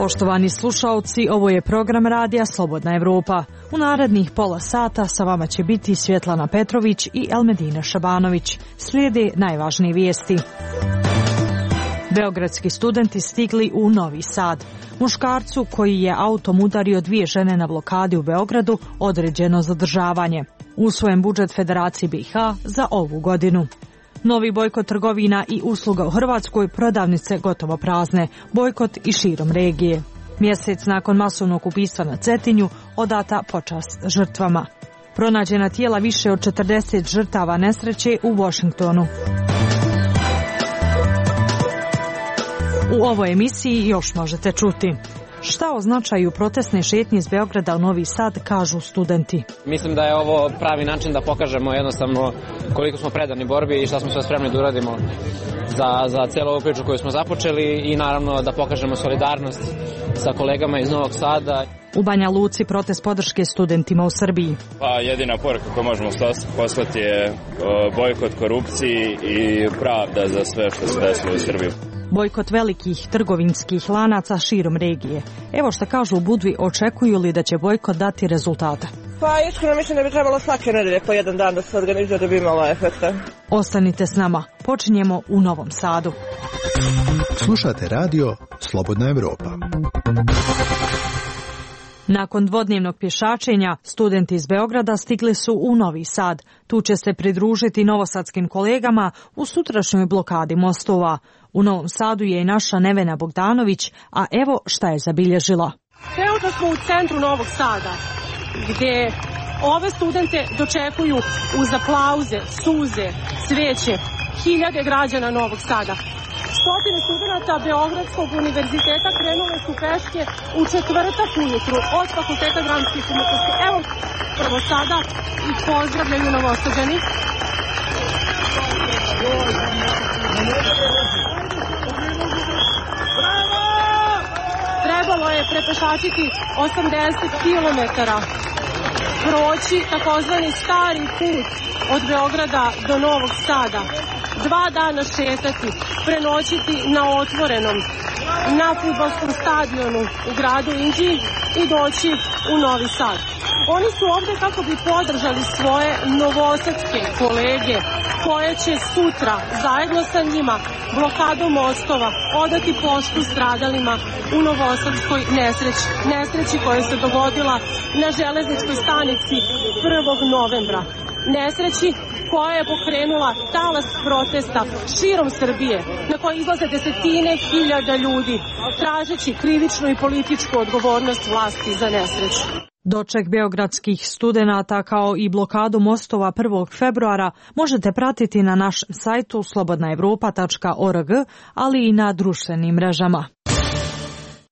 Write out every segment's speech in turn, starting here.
Poštovani slušaoci, ovo je program radija Slobodna Evropa. U narednih pola sata sa vama će biti Svjetlana Petrović i Elmedina Šabanović. Slijede najvažnije vijesti. Beogradski studenti stigli u Novi Sad. Muškarcu koji je autom udario 2 žene na blokadi u Beogradu određeno zadržavanje. Usvojen budžet Federacije BiH za ovu godinu. Novi bojkot trgovina i usluga u Hrvatskoj, prodavnice gotovo prazne, bojkot i širom regije. Mjesec nakon masovnog ubistva na Cetinju odata počast žrtvama. Pronađena tijela više od 40 žrtava nesreće u Washingtonu. U ovoj emisiji još možete čuti. Šta označaju protestne šetnje iz Beograda u Novi Sad, kažu studenti. Mislim da je ovo pravi način da pokažemo jednostavno koliko smo predani borbi i šta smo sve spremni da uradimo za cijelu ovu priču koju smo započeli i naravno da pokažemo solidarnost sa kolegama iz Novog Sada. U Banja Luci protest podrške studentima u Srbiji. Pa jedina poruka koju možemo poslati je bojkot korupciji i pravda za sve što se desilo u Srbiji. Bojkot velikih trgovinskih lanaca širom regije. Evo što kažu u Budvi, očekuju li da će bojkot dati rezultata? Pa iskreno mislim da bi trebalo svake nedelje po jedan dan da se organizuje da bi imalo efekta. Ostanite s nama. Počinjemo u Novom Sadu. Slušate radio Slobodna Evropa. Nakon dvodnevnog pješačenja, studenti iz Beograda stigli su u Novi Sad. Tu će se pridružiti novosadskim kolegama u sutrašnjoj blokadi mostova. U Novom Sadu je i naša Nevena Bogdanović, a evo šta je zabilježila. Trenutno smo u centru Novog Sada, gdje ove studente dočekuju uz aplauze, suze, cvijeće, hiljade građana Novog Sada. Stotine studenta Beogradskog univerziteta krenule su peške u četvrtak ujutru od Fakulteta dramskih umjetnosti. Evo, prvo sada ih pozdravljaju Novosađani. Trebalo je prepešačiti 80 km, proći takozvani stari put od Beograda do Novog Sada. 2 dana šetati, prenoćiti na otvorenom, na fudbalskom stadionu u gradu Inđiji i doći u Novi Sad. Oni su ovdje kako bi podržali svoje novosadske kolege koje će sutra zajedno sa njima blokadom mostova odati poštu stradalima u novosadskoj nesreći koja se dogodila na železničkoj stanici 1. novembra. Nesreći koja je pokrenula talas protesta širom Srbije, na koje izlaze desetine hiljada ljudi, tražeći krivičnu i političku odgovornost vlasti za nesreću. Doček beogradskih studenata kao i blokadu mostova 1. februara možete pratiti na našem sajtu slobodnaevropa.org, ali i na društvenim mrežama.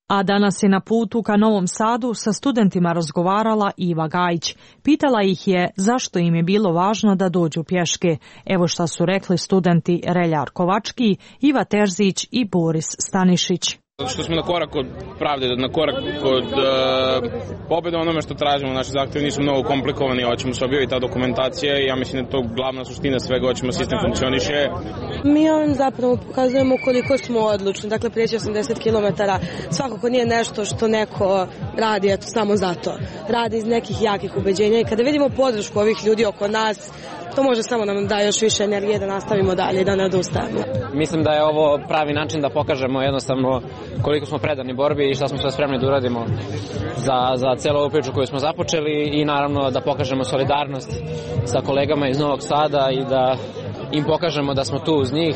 A danas je na putu ka Novom Sadu sa studentima razgovarala Iva Gajić. Pitala ih je zašto im je bilo važno da dođu pješke. Evo šta su rekli studenti Reljar Kovački, Iva Terzić i Boris Stanišić. Što smo na korak od pravde, na korak od pobjede onome što tražimo. Naši zahtjevi nisu mnogo komplikovani, hoćemo se objaviti ta dokumentacija i ja mislim da je to glavna suština svega, hoćemo sistem funkcioniše. Mi ovim zapravo pokazujemo koliko smo odlučni, dakle prijeći 80 km svakako nije nešto što neko radi eto samo zato. Radi iz nekih jakih ubeđenja i kada vidimo podršku ovih ljudi oko nas, to može samo nam da još više energije da nastavimo dalje i da ne odustajemo. Mislim da je ovo pravi način da pokažemo jednostavno koliko smo predani borbi i šta smo sve spremni da uradimo za cijelu ovu priču koju smo započeli i naravno da pokažemo solidarnost sa kolegama iz Novog Sada i da im pokažemo da smo tu uz njih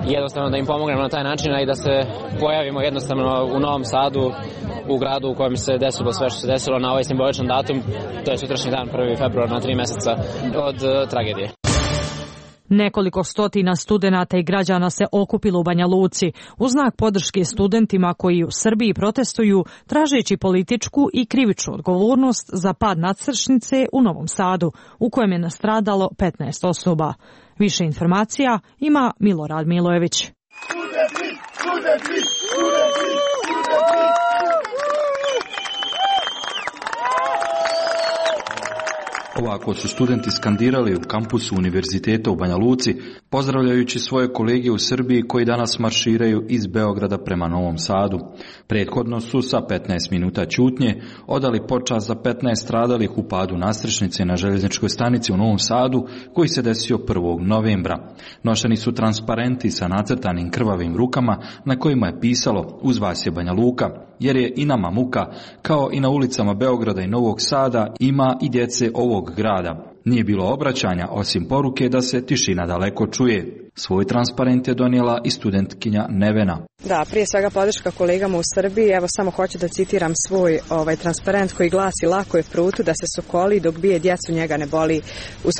i jednostavno da im pomognemo na taj način i da se pojavimo jednostavno u Novom Sadu, u gradu u kojem se desilo sve što se desilo na ovaj simboličan datum, to je sutrašnji dan 1. februar na 3 mjeseca od tragedije. Nekoliko stotina studenata i građana se okupilo u Banja Luci u znak podrške studentima koji u Srbiji protestuju tražeći političku i krivičnu odgovornost za pad nadstrešnice u Novom Sadu, u kojem je nastradalo 15 osoba. Više informacija ima Milorad Milojević. Ovako su studenti skandirali u kampusu Univerziteta u Banja Luci, pozdravljajući svoje kolege u Srbiji koji danas marširaju iz Beograda prema Novom Sadu. Prethodno su sa 15 minuta ćutnje odali počast za 15 stradalih u padu nadstrešnice na željezničkoj stanici u Novom Sadu, koji se desio 1. novembra. Nošeni su transparenti sa nacrtanim krvavim rukama na kojima je pisalo "Uz vas je Banja Luka", jer je i nama muka, kao i na ulicama Beograda i Novog Sada ima i djece ovog grada. Nije bilo obraćanja osim poruke da se tišina daleko čuje. Svoj transparent je donijela i studentkinja Nevena. Da, prije svega podrška kolegama u Srbiji. Evo samo hoću da citiram svoj transparent koji glasi: "Lako je prutu da se sokoli, dok bije djecu njega ne boli." U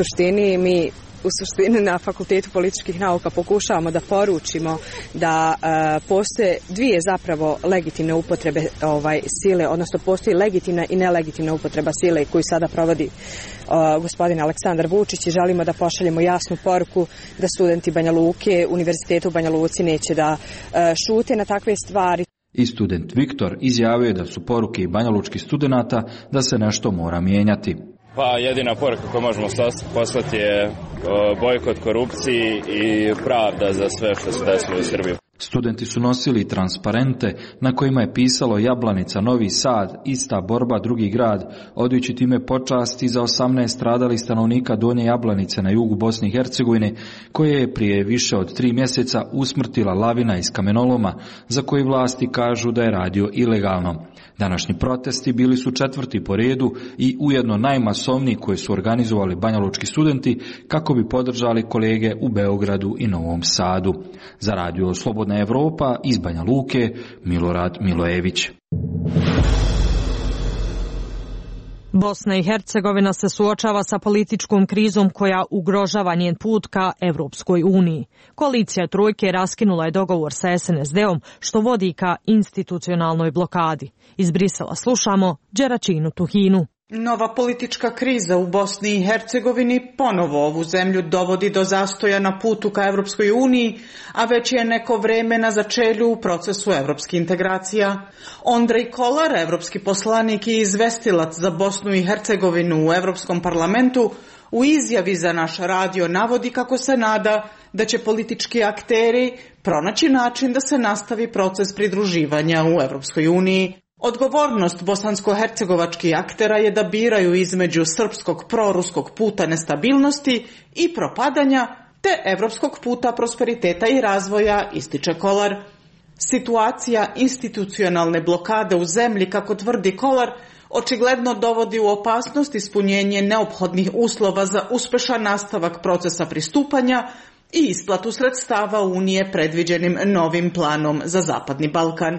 suštini na Fakultetu političkih nauka pokušavamo da poručimo da postoje dvije zapravo legitimne upotrebe sile, odnosno postoji legitimna i nelegitimna upotreba sile koju sada provodi gospodin Aleksandar Vučić, i želimo da pošaljemo jasnu poruku da studenti Banja Luke, Univerziteta u Banja Luci neće da šute na takve stvari. I student Viktor izjavio je da su poruke i banjalučkih studenata da se nešto mora mijenjati. Pa jedina poruka koju možemo poslati je bojkot korupciji i pravda za sve što se desilo u Srbiji. Studenti su nosili transparente na kojima je pisalo "Jablanica, Novi Sad, ista borba, drugi grad", odajući time počasti za 18 stradalih stanovnika Donje Jablanice na jugu Bosne i Hercegovine, koje je prije više od 3 mjeseca usmrtila lavina iz kamenoloma, za koji vlasti kažu da je radio ilegalno. Današnji protesti bili su 4. po redu i ujedno najmasovniji koje su organizovali banjalučki studenti kako bi podržali kolege u Beogradu i Novom Sadu. Za radio Slobodna Evropa iz Banja Luke, Milorad Milojević. Bosna i Hercegovina se suočava sa političkom krizom koja ugrožava njen put ka Evropskoj uniji. Koalicija Trojke raskinula je dogovor sa SNSD-om, što vodi ka institucionalnoj blokadi. Iz Brisela slušamo Đeračinu Tuhinu. Nova politička kriza u Bosni i Hercegovini ponovo ovu zemlju dovodi do zastoja na putu ka Evropskoj uniji, a već je neko vreme na začelju u procesu evropskih integracija. Ondrej Kolar, evropski poslanik i izvestilac za Bosnu i Hercegovinu u Evropskom parlamentu, u izjavi za naš radio navodi kako se nada da će politički akteri pronaći način da se nastavi proces pridruživanja u Evropskoj uniji. Odgovornost bosansko-hercegovačkih aktera je da biraju između srpskog proruskog puta nestabilnosti i propadanja te evropskog puta prosperiteta i razvoja, ističe Kolar. Situacija institucionalne blokade u zemlji, kako tvrdi Kolar, očigledno dovodi u opasnost ispunjenje neophodnih uslova za uspešan nastavak procesa pristupanja i isplatu sredstava Unije predviđenim novim planom za Zapadni Balkan.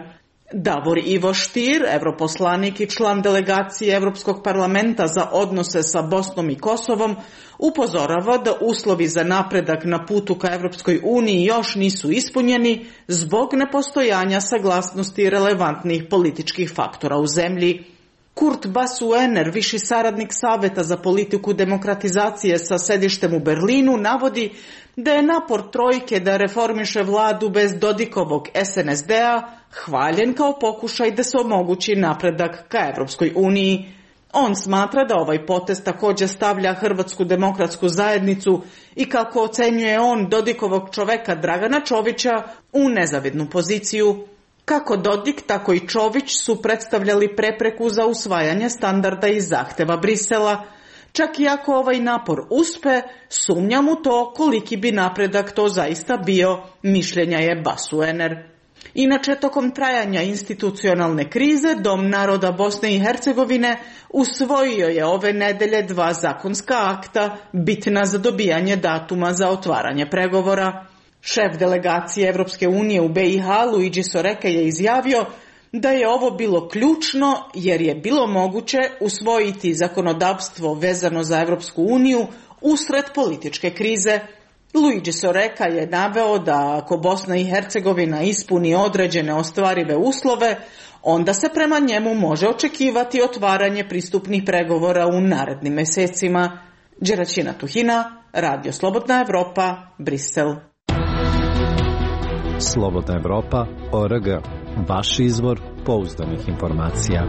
Davor Ivo Stier, europoslanik i član delegacije Evropskog parlamenta za odnose sa Bosnom i Kosovom, upozorava da uslovi za napredak na putu ka Evropskoj uniji još nisu ispunjeni zbog nepostojanja saglasnosti relevantnih političkih faktora u zemlji. Kurt Basuener, viši saradnik Saveta za politiku demokratizacije sa sedištem u Berlinu, navodi da je napor Trojke da reformiše vladu bez Dodikovog SNSD-a hvaljen kao pokušaj da se omogući napredak ka Evropskoj uniji. On smatra da ovaj potez također stavlja Hrvatsku demokratsku zajednicu i, kako ocenjuje on, Dodikovog čoveka Dragana Čovića u nezavidnu poziciju. Kako Dodik, tako i Čović su predstavljali prepreku za usvajanje standarda i zahteva Brisela. Čak i ako ovaj napor uspe, sumnjam u to koliki bi napredak to zaista bio, mišljenja je Basuener. Inače, tokom trajanja institucionalne krize, Dom naroda Bosne i Hercegovine usvojio je ove nedelje 2 zakonska akta bitna za dobijanje datuma za otvaranje pregovora. Šef delegacije Evropske unije u BiH, Luigi Soreka, je izjavio da je ovo bilo ključno jer je bilo moguće usvojiti zakonodavstvo vezano za Evropsku uniju usred političke krize. Luigi Soreka je naveo da ako Bosna i Hercegovina ispuni određene ostvarive uslove, onda se prema njemu može očekivati otvaranje pristupnih pregovora u narednim mesecima. Đeračina Tuhina, Radio Slobodna Evropa, Brisel. Slobodna Evropa.org, vaš izvor pouzdanih informacija.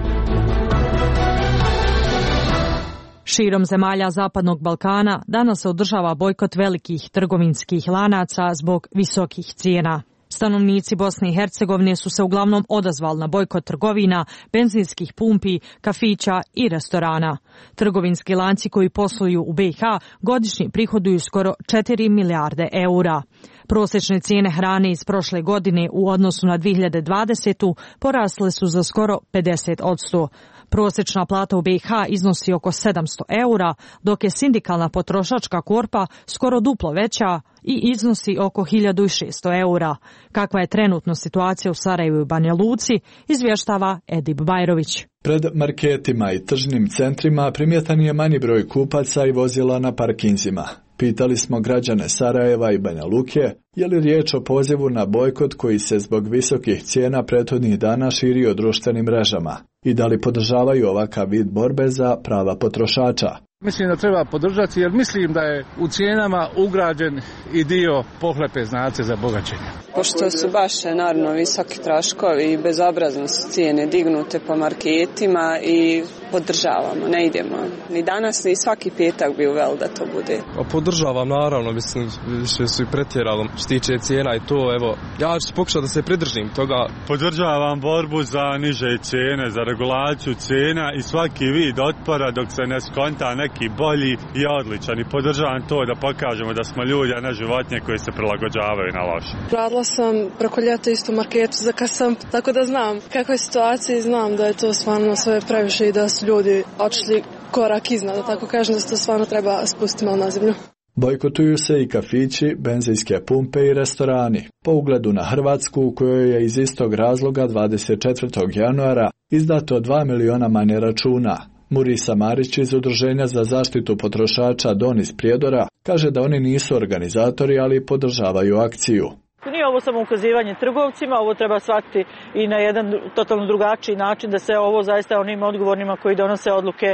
Širom zemalja Zapadnog Balkana danas se održava bojkot velikih trgovinskih lanaca zbog visokih cijena. Stanovnici Bosne i Hercegovine su se uglavnom odazvali na bojkot trgovina, benzinskih pumpi, kafića i restorana. Trgovinski lanci koji posluju u BiH godišnje prihoduju skoro 4 milijarde eura. Prosječne cijene hrane iz prošle godine u odnosu na 2020. porasle su za skoro 50%. Prosječna plata u BiH iznosi oko 700 eura, dok je sindikalna potrošačka korpa skoro duplo veća i iznosi oko 1600 eura. Kakva je trenutno situacija u Sarajevu i Banja Luci, izvještava Edip Bajrović. Pred marketima i tržnim centrima primjetan je manji broj kupaca i vozila na parkinzima. Pitali smo građane Sarajeva i Banja Luke je li riječ o pozivu na bojkot koji se zbog visokih cijena prethodnih dana širi o društvenim mrežama i da li podržavaju ovakav vid borbe za prava potrošača. Mislim da treba podržati jer mislim da je u cijenama ugrađen i dio pohlepe znace za bogaćenje. Pošto su baš naravno visoki troškovi i bezobrazno su cijene dignute po marketima i podržavamo, ne idemo. Ni danas, ni svaki petak bi uveli da to bude. Podržavam naravno, mislim više su i pretjeralo što tiče cijena i to, evo, ja ću pokušati da se pridržim toga. Podržavam borbu za niže cijene, za regulaciju cijena i svaki vid otpora dok se ne skonta neki bolji i odličan i podržavam to da pokažemo da smo ljudi, a ne životinje koji se prilagođavaju na loše. Radila sam preko ljeta isto u marketu za kasam, tako da znam kakva je situacija i znam da je to stvarno sve previše i da su ljudi otišli korak iznad, da tako kažem, da se to stvarno treba spustiti malo na zemlju. Bojkotuju se i kafići, benzinske pumpe i restorani. Po ugledu na Hrvatsku, u kojoj je iz istog razloga 24. januara izdato 2 miliona manje računa. Murisa Marić iz Udruženja za zaštitu potrošača Don iz Prijedora kaže da oni nisu organizatori, ali podržavaju akciju. Nije ovo samo ukazivanje trgovcima, ovo treba shvatiti i na jedan totalno drugačiji način, da se ovo zaista onim odgovornima koji donose odluke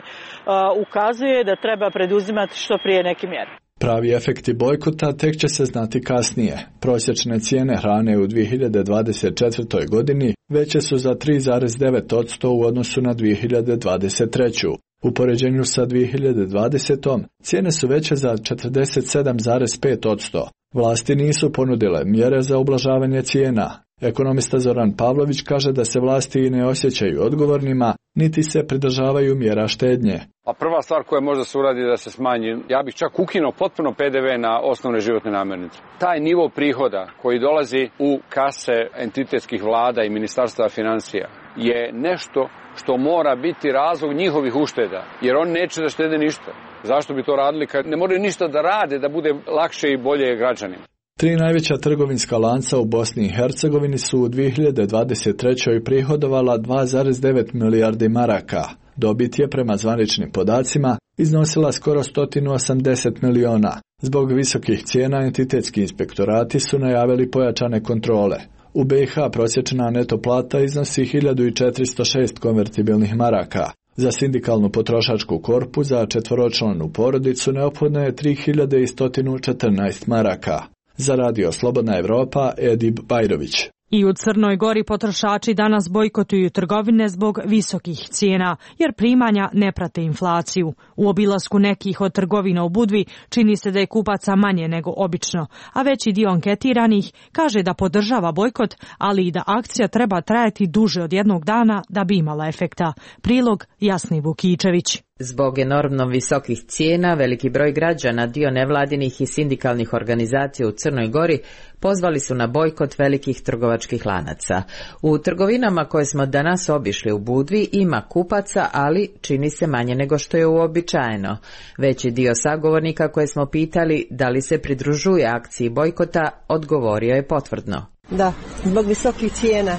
ukazuje da treba preduzimati što prije neke mjere. Pravi efekti bojkota tek će se znati kasnije. Prosječne cijene hrane u 2024. godini veće su za 3,9% u odnosu na 2023. U poređenju sa 2020. cijene su veće za 47,5%. Vlasti nisu ponudile mjere za ublažavanje cijena. Ekonomista Zoran Pavlović kaže da se vlasti i ne osjećaju odgovornima, niti se pridržavaju mjera štednje. A prva stvar koja može se uradi da se smanji, ja bih čak ukinuo potpuno PDV na osnovne životne namirnice. Taj nivo prihoda koji dolazi u kase entitetskih vlada i ministarstva financija je nešto što mora biti razlog njihovih ušteda, jer oni neće da štede ništa. Zašto bi to radili kad ne moraju ništa da rade da bude lakše i bolje građanima? 3 najveća trgovinska lanca u Bosni i Hercegovini su u 2023. prihodovala 2,9 milijardi maraka. Dobit je prema zvaničnim podacima iznosila skoro 180 miliona. Zbog visokih cijena entitetski inspektorati su najavili pojačane kontrole. U BiH prosječna neto plata iznosi 1406 konvertibilnih maraka. Za sindikalnu potrošačku korpu za četvoročlanu porodicu neophodno je 3114 maraka. Za Radio Slobodna Evropa, Edip Bajrović. I u Crnoj Gori potrošači danas bojkotuju trgovine zbog visokih cijena, jer primanja ne prate inflaciju. U obilasku nekih od trgovina u Budvi čini se da je kupaca manje nego obično, a veći dio anketiranih kaže da podržava bojkot, ali i da akcija treba trajati duže od jednog dana da bi imala efekta. Prilog Jasni Vukičević. Zbog enormno visokih cijena, veliki broj građana, dio nevladinih i sindikalnih organizacija u Crnoj Gori pozvali su na bojkot velikih trgovačkih lanaca. U trgovinama koje smo danas obišli u Budvi ima kupaca, ali čini se manje nego što je uobičajeno. Veći dio sagovornika koje smo pitali da li se pridružuje akciji bojkota, odgovorio je potvrdno. Da, zbog visokih cijena.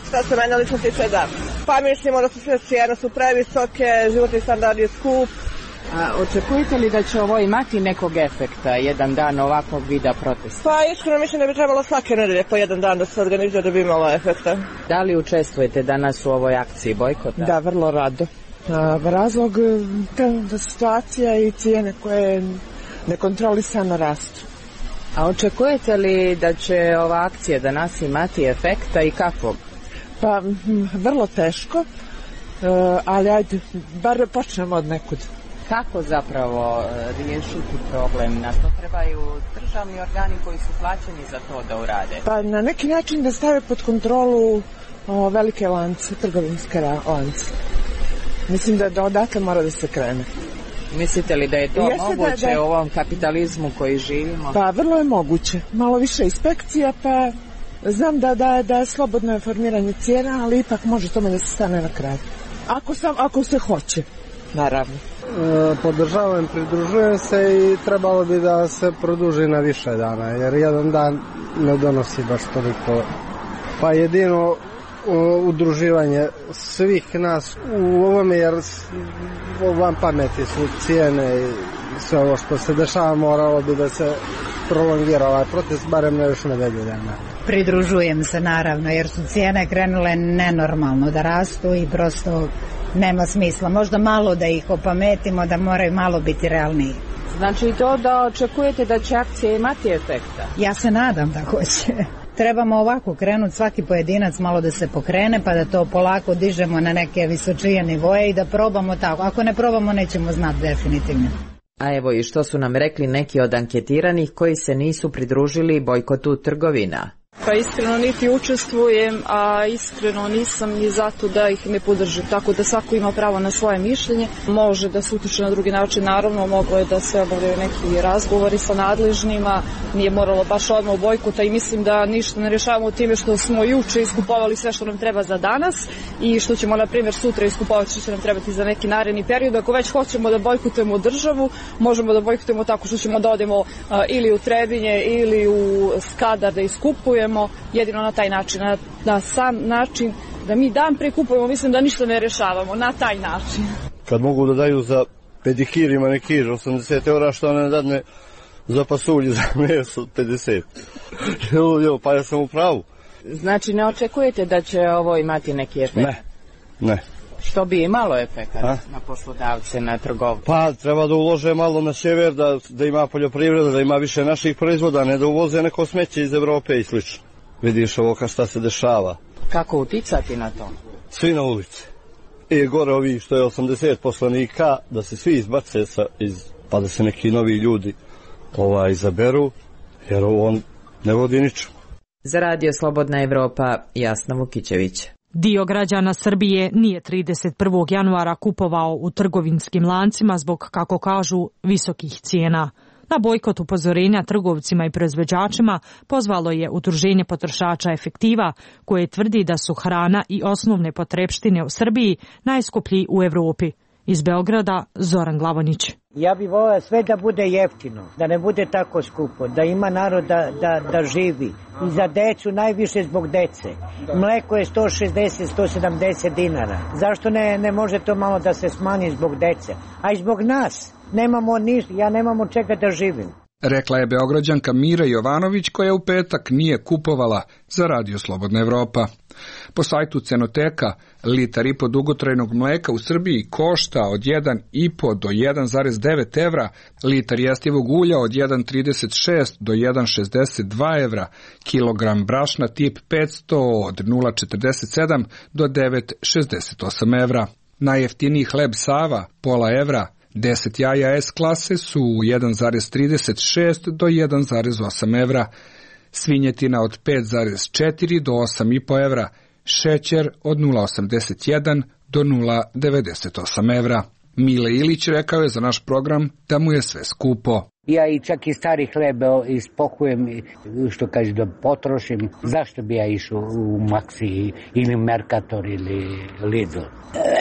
Šta se mene lično tiče, da. Pa mislimo da su sve cijene su previsoke, životni standard je skup. A očekujete li da će ovo imati nekog efekta, jedan dan ovakvog vida protesta? Pa iskreno mislim da bi trebalo svake nedelje po jedan dan da se organizuje da bi imalo efekta. Da li učestvujete danas u ovoj akciji bojkota? Da, vrlo rado. Razlog da situacija i cijene koje nekontrolisano rastu. A očekujete li da će ova akcija danas imati efekta i kakvog? Pa vrlo teško, ali ajde, bar počnemo od nekud. Kako zapravo riješiti problem? Na to trebaju državni organi koji su plaćeni za to da urade? Pa na neki način da stave pod kontrolu velike lance, trgovinske lance. Mislim da odatle mora da se krene. Mislite li da je to moguće u ovom kapitalizmu koji živimo? Pa vrlo je moguće. Malo više inspekcija, pa znam da je slobodno formiranje cijena, ali ipak može tome da se stane na kraj. Ako se hoće, naravno. Podržavam, pridružujem se i trebalo bi da se produži na više dana, jer jedan dan ne donosi baš toliko. Pa jedino udruživanje svih nas u ovome, jer van pameti su cijene i sve ovo što se dešava, moralo bi da se prolongira ovaj protest, barem na još nedelju dana. Pridružujem se naravno, jer su cijene krenule nenormalno da rastu i prosto nema smisla. Možda malo da ih opametimo, da moraju malo biti realniji. Znači to da očekujete da će akcije imati efekta? Ja se nadam da hoće. Trebamo ovako krenuti, svaki pojedinac malo da se pokrene, pa da to polako dižemo na neke visočije nivoje i da probamo tako. Ako ne probamo, nećemo znati definitivno. A evo i što su nam rekli neki od anketiranih koji se nisu pridružili bojkotu trgovina. Pa iskreno niti učestvujem, a iskreno nisam ni zato da ih ne podržim. Tako da svako ima pravo na svoje mišljenje. Može da se utiče na drugi način, naravno moglo je da se obavljaju neki razgovori sa nadležnima. Nije moralo baš odmah u bojkota i mislim da ništa ne rješavamo time što smo juče iskupovali sve što nam treba za danas i što ćemo na primjer sutra iskupovati što će nam trebati za neki naredni period. Ako već hoćemo da bojkotujemo državu, možemo da bojkotujemo tako što ćemo da odemo ili u Trebinje ili u Skadar da iskupujemo. Jedino na taj način, na sam način da mi dan prekupujemo, mislim da ništa ne rešavamo, na taj način. Kad mogu da daju za pedikir i manikir 80 eura, što ne dadne za pasulju, za meso 50. Pa ja sam u pravu. Znači ne očekujete da će ovo imati neki efekt? Ne. Što bi imalo efekt na poslodavce, na trgovce? Pa treba da ulože malo na sjever, da ima poljoprivreda, da ima više naših proizvoda, ne da uvoze neko smeće iz Evrope i slično. Vidiš ovo šta se dešava. Kako uticati na to? Svi na ulici. I gore ovi što je 80 poslanika, da se svi izbace pa da se neki novi ljudi izaberu, jer ovo ne vodi ničemu. Za Radio Slobodna Evropa, Jasna Vukićević. Dio građana Srbije nije 31. januara kupovao u trgovinskim lancima zbog, kako kažu, visokih cijena. Na bojkot upozorenja trgovcima i proizvođačima pozvalo je Udruženje potrošača Efektiva, koje tvrdi da su hrana i osnovne potrepštine u Srbiji najskuplji u Evropi. Iz Beograda, Zoran Glavonić. Ja bih volio sve da bude jeftino, da ne bude tako skupo, da ima narod da živi. I za decu najviše zbog dece. Mleko je 160-170 dinara. Zašto ne može to malo da se smanji zbog dece? A i zbog nas. Nemamo ništa, ja nemam od čega da živim. Rekla je Beograđanka Mira Jovanović, koja u petak nije kupovala za Radio Slobodna Evropa. Po sajtu Cenoteka, litar i po dugotrajnog mleka u Srbiji košta od 1,5 do 1,9 evra, litar jestivog ulja od 1,36 do 1,62 evra, kilogram brašna tip 500 od 0,47 do 9,68 evra. Najjeftiniji hleb Sava, pola evra, 10 jaja S klase su 1,36 do 1,8 evra, svinjetina od 5,4 do 8,5 evra, šećer od 0,81 do 0,98 evra. Mile Ilić rekao je za naš program da mu je sve skupo. Ja i čak i stari hleb ispokujem, što kaže da potrošim. Zašto bi ja išao u Maxi ili Mercator ili Lidl?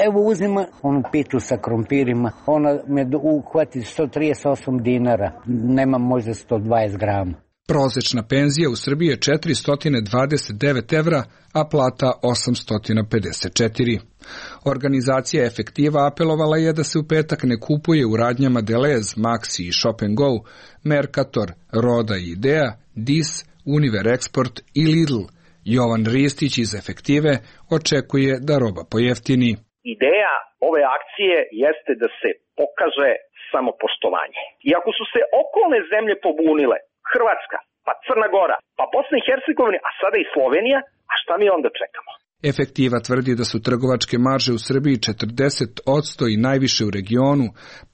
Evo uzmem onu pitu sa krompirima, ona me uhvati 138 dinara, nemam možda 120 grama. Prosečna penzija u Srbiji je 429 evra, a plata 854. Organizacija Efektiva apelovala je da se u petak ne kupuje u radnjama Delez, Maxi i Shop & Go, Mercator, Roda i Idea, Dis, Univer Export i Lidl. Jovan Ristić iz Efektive očekuje da roba pojeftini. Ideja ove akcije jeste da se pokaže samopoštovanje. I ako su se okolne zemlje pobunile, Hrvatska, pa Crna Gora, pa Bosna i Hercegovina, a sada i Slovenija, a šta mi onda čekamo? Efektiva tvrdi da su trgovačke marže u Srbiji 40% i najviše u regionu.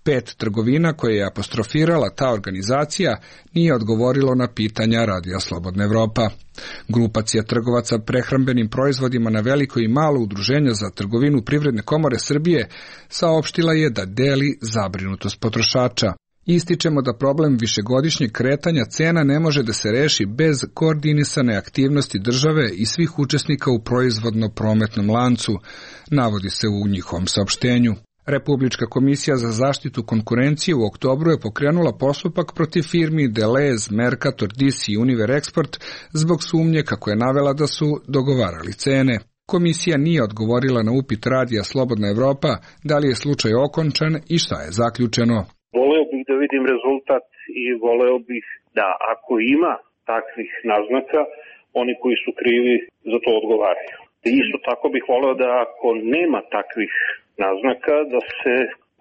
5 trgovina koje je apostrofirala ta organizacija nije odgovorilo na pitanja Radija Slobodna Evropa. Grupacija trgovaca prehrambenim proizvodima na veliko i malo udruženja za trgovinu Privredne komore Srbije saopštila je da deli zabrinutost potrošača. Ističemo da problem višegodišnjeg kretanja cena ne može da se reši bez koordinisane aktivnosti države i svih učesnika u proizvodno-prometnom lancu, navodi se u njihovom saopštenju. Republička komisija za zaštitu konkurencije u oktobru je pokrenula postupak protiv firmi Deleuze, Mercator, DC i Univer Export zbog sumnje kako je navela da su dogovarali cene. Komisija nije odgovorila na upit Radija Slobodna Evropa da li je slučaj okončan i šta je zaključeno. Voleo bih da vidim rezultat i voleo bih da ako ima takvih naznaka, oni koji su krivi za to odgovaraju. Isto tako bih voleo da ako nema takvih naznaka, da se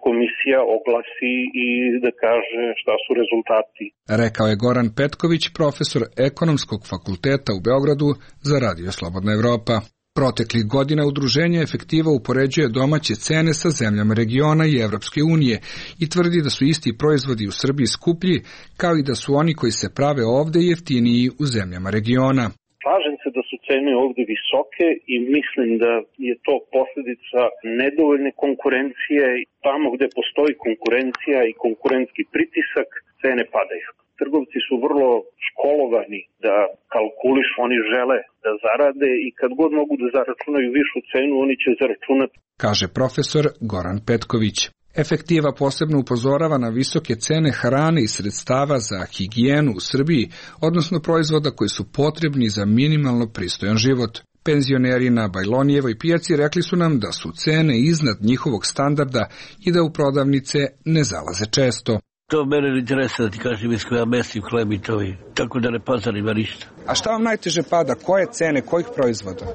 komisija oglasi i da kaže šta su rezultati. Rekao je Goran Petković, profesor Ekonomskog fakulteta u Beogradu za Radio Slobodna Evropa. Proteklih godina udruženje Efektiva upoređuje domaće cene sa zemljama regiona i Evropske unije i tvrdi da su isti proizvodi u Srbiji skuplji, kao i da su oni koji se prave ovde jeftiniji u zemljama regiona. Slažem se da su cene ovde visoke i mislim da je to posljedica nedovoljne konkurencije. Tamo gde postoji konkurencija i konkurentski pritisak, cene padaju. Trgovci su vrlo školovani da kalkulišu, oni žele da zarade i kad god mogu da zaračunaju višu cenu, oni će zaračunati. Kaže profesor Goran Petković. Efektiva posebno upozorava na visoke cene hrane i sredstava za higijenu u Srbiji, odnosno proizvoda koji su potrebni za minimalno pristojan život. Penzioneri na Bajlonijevoj pijaci rekli su nam da su cene iznad njihovog standarda i da u prodavnice ne zalaze često. To mene ne interesa da ti kažem iz koja mestim hleb i to je, tako da ne pazarima ništa. A šta vam najteže pada? Koje cene, kojih proizvoda?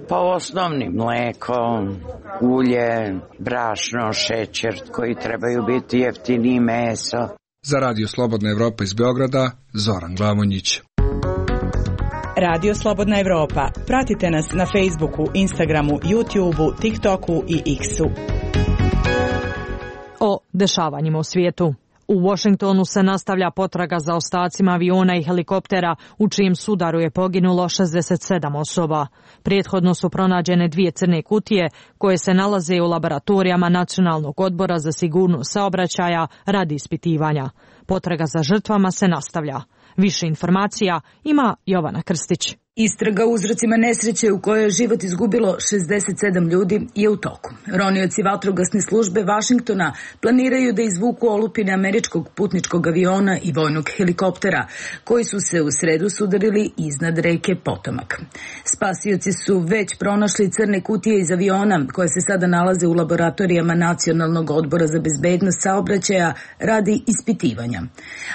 Pa osnovni, mleko, ulje, brašno, šećer koji trebaju biti jeftini, meso. Za Radio Slobodna Evropa iz Beograda, Zoran Glavonjić. Radio Slobodna Evropa. Pratite nas na Facebooku, Instagramu, YouTubeu, TikToku i X-u. O dešavanjima u svijetu. U Washingtonu se nastavlja potraga za ostacima aviona i helikoptera u čijem sudaru je poginulo 67 osoba. Prethodno su pronađene 2 crne kutije koje se nalaze u laboratorijama Nacionalnog odbora za sigurnost saobraćaja radi ispitivanja. Potraga za žrtvama se nastavlja. Više informacija ima Jovana Krstić. Istraga o uzrocima nesreće u kojoj je život izgubilo 67 ljudi je u toku. Ronioci vatrogasne službe Vašingtona planiraju da izvuku olupine američkog putničkog aviona i vojnog helikoptera, koji su se u sredu sudarili iznad reke Potomak. Spasioci su već pronašli crne kutije iz aviona, koje se sada nalaze u laboratorijama Nacionalnog odbora za bezbednost saobraćaja radi ispitivanja.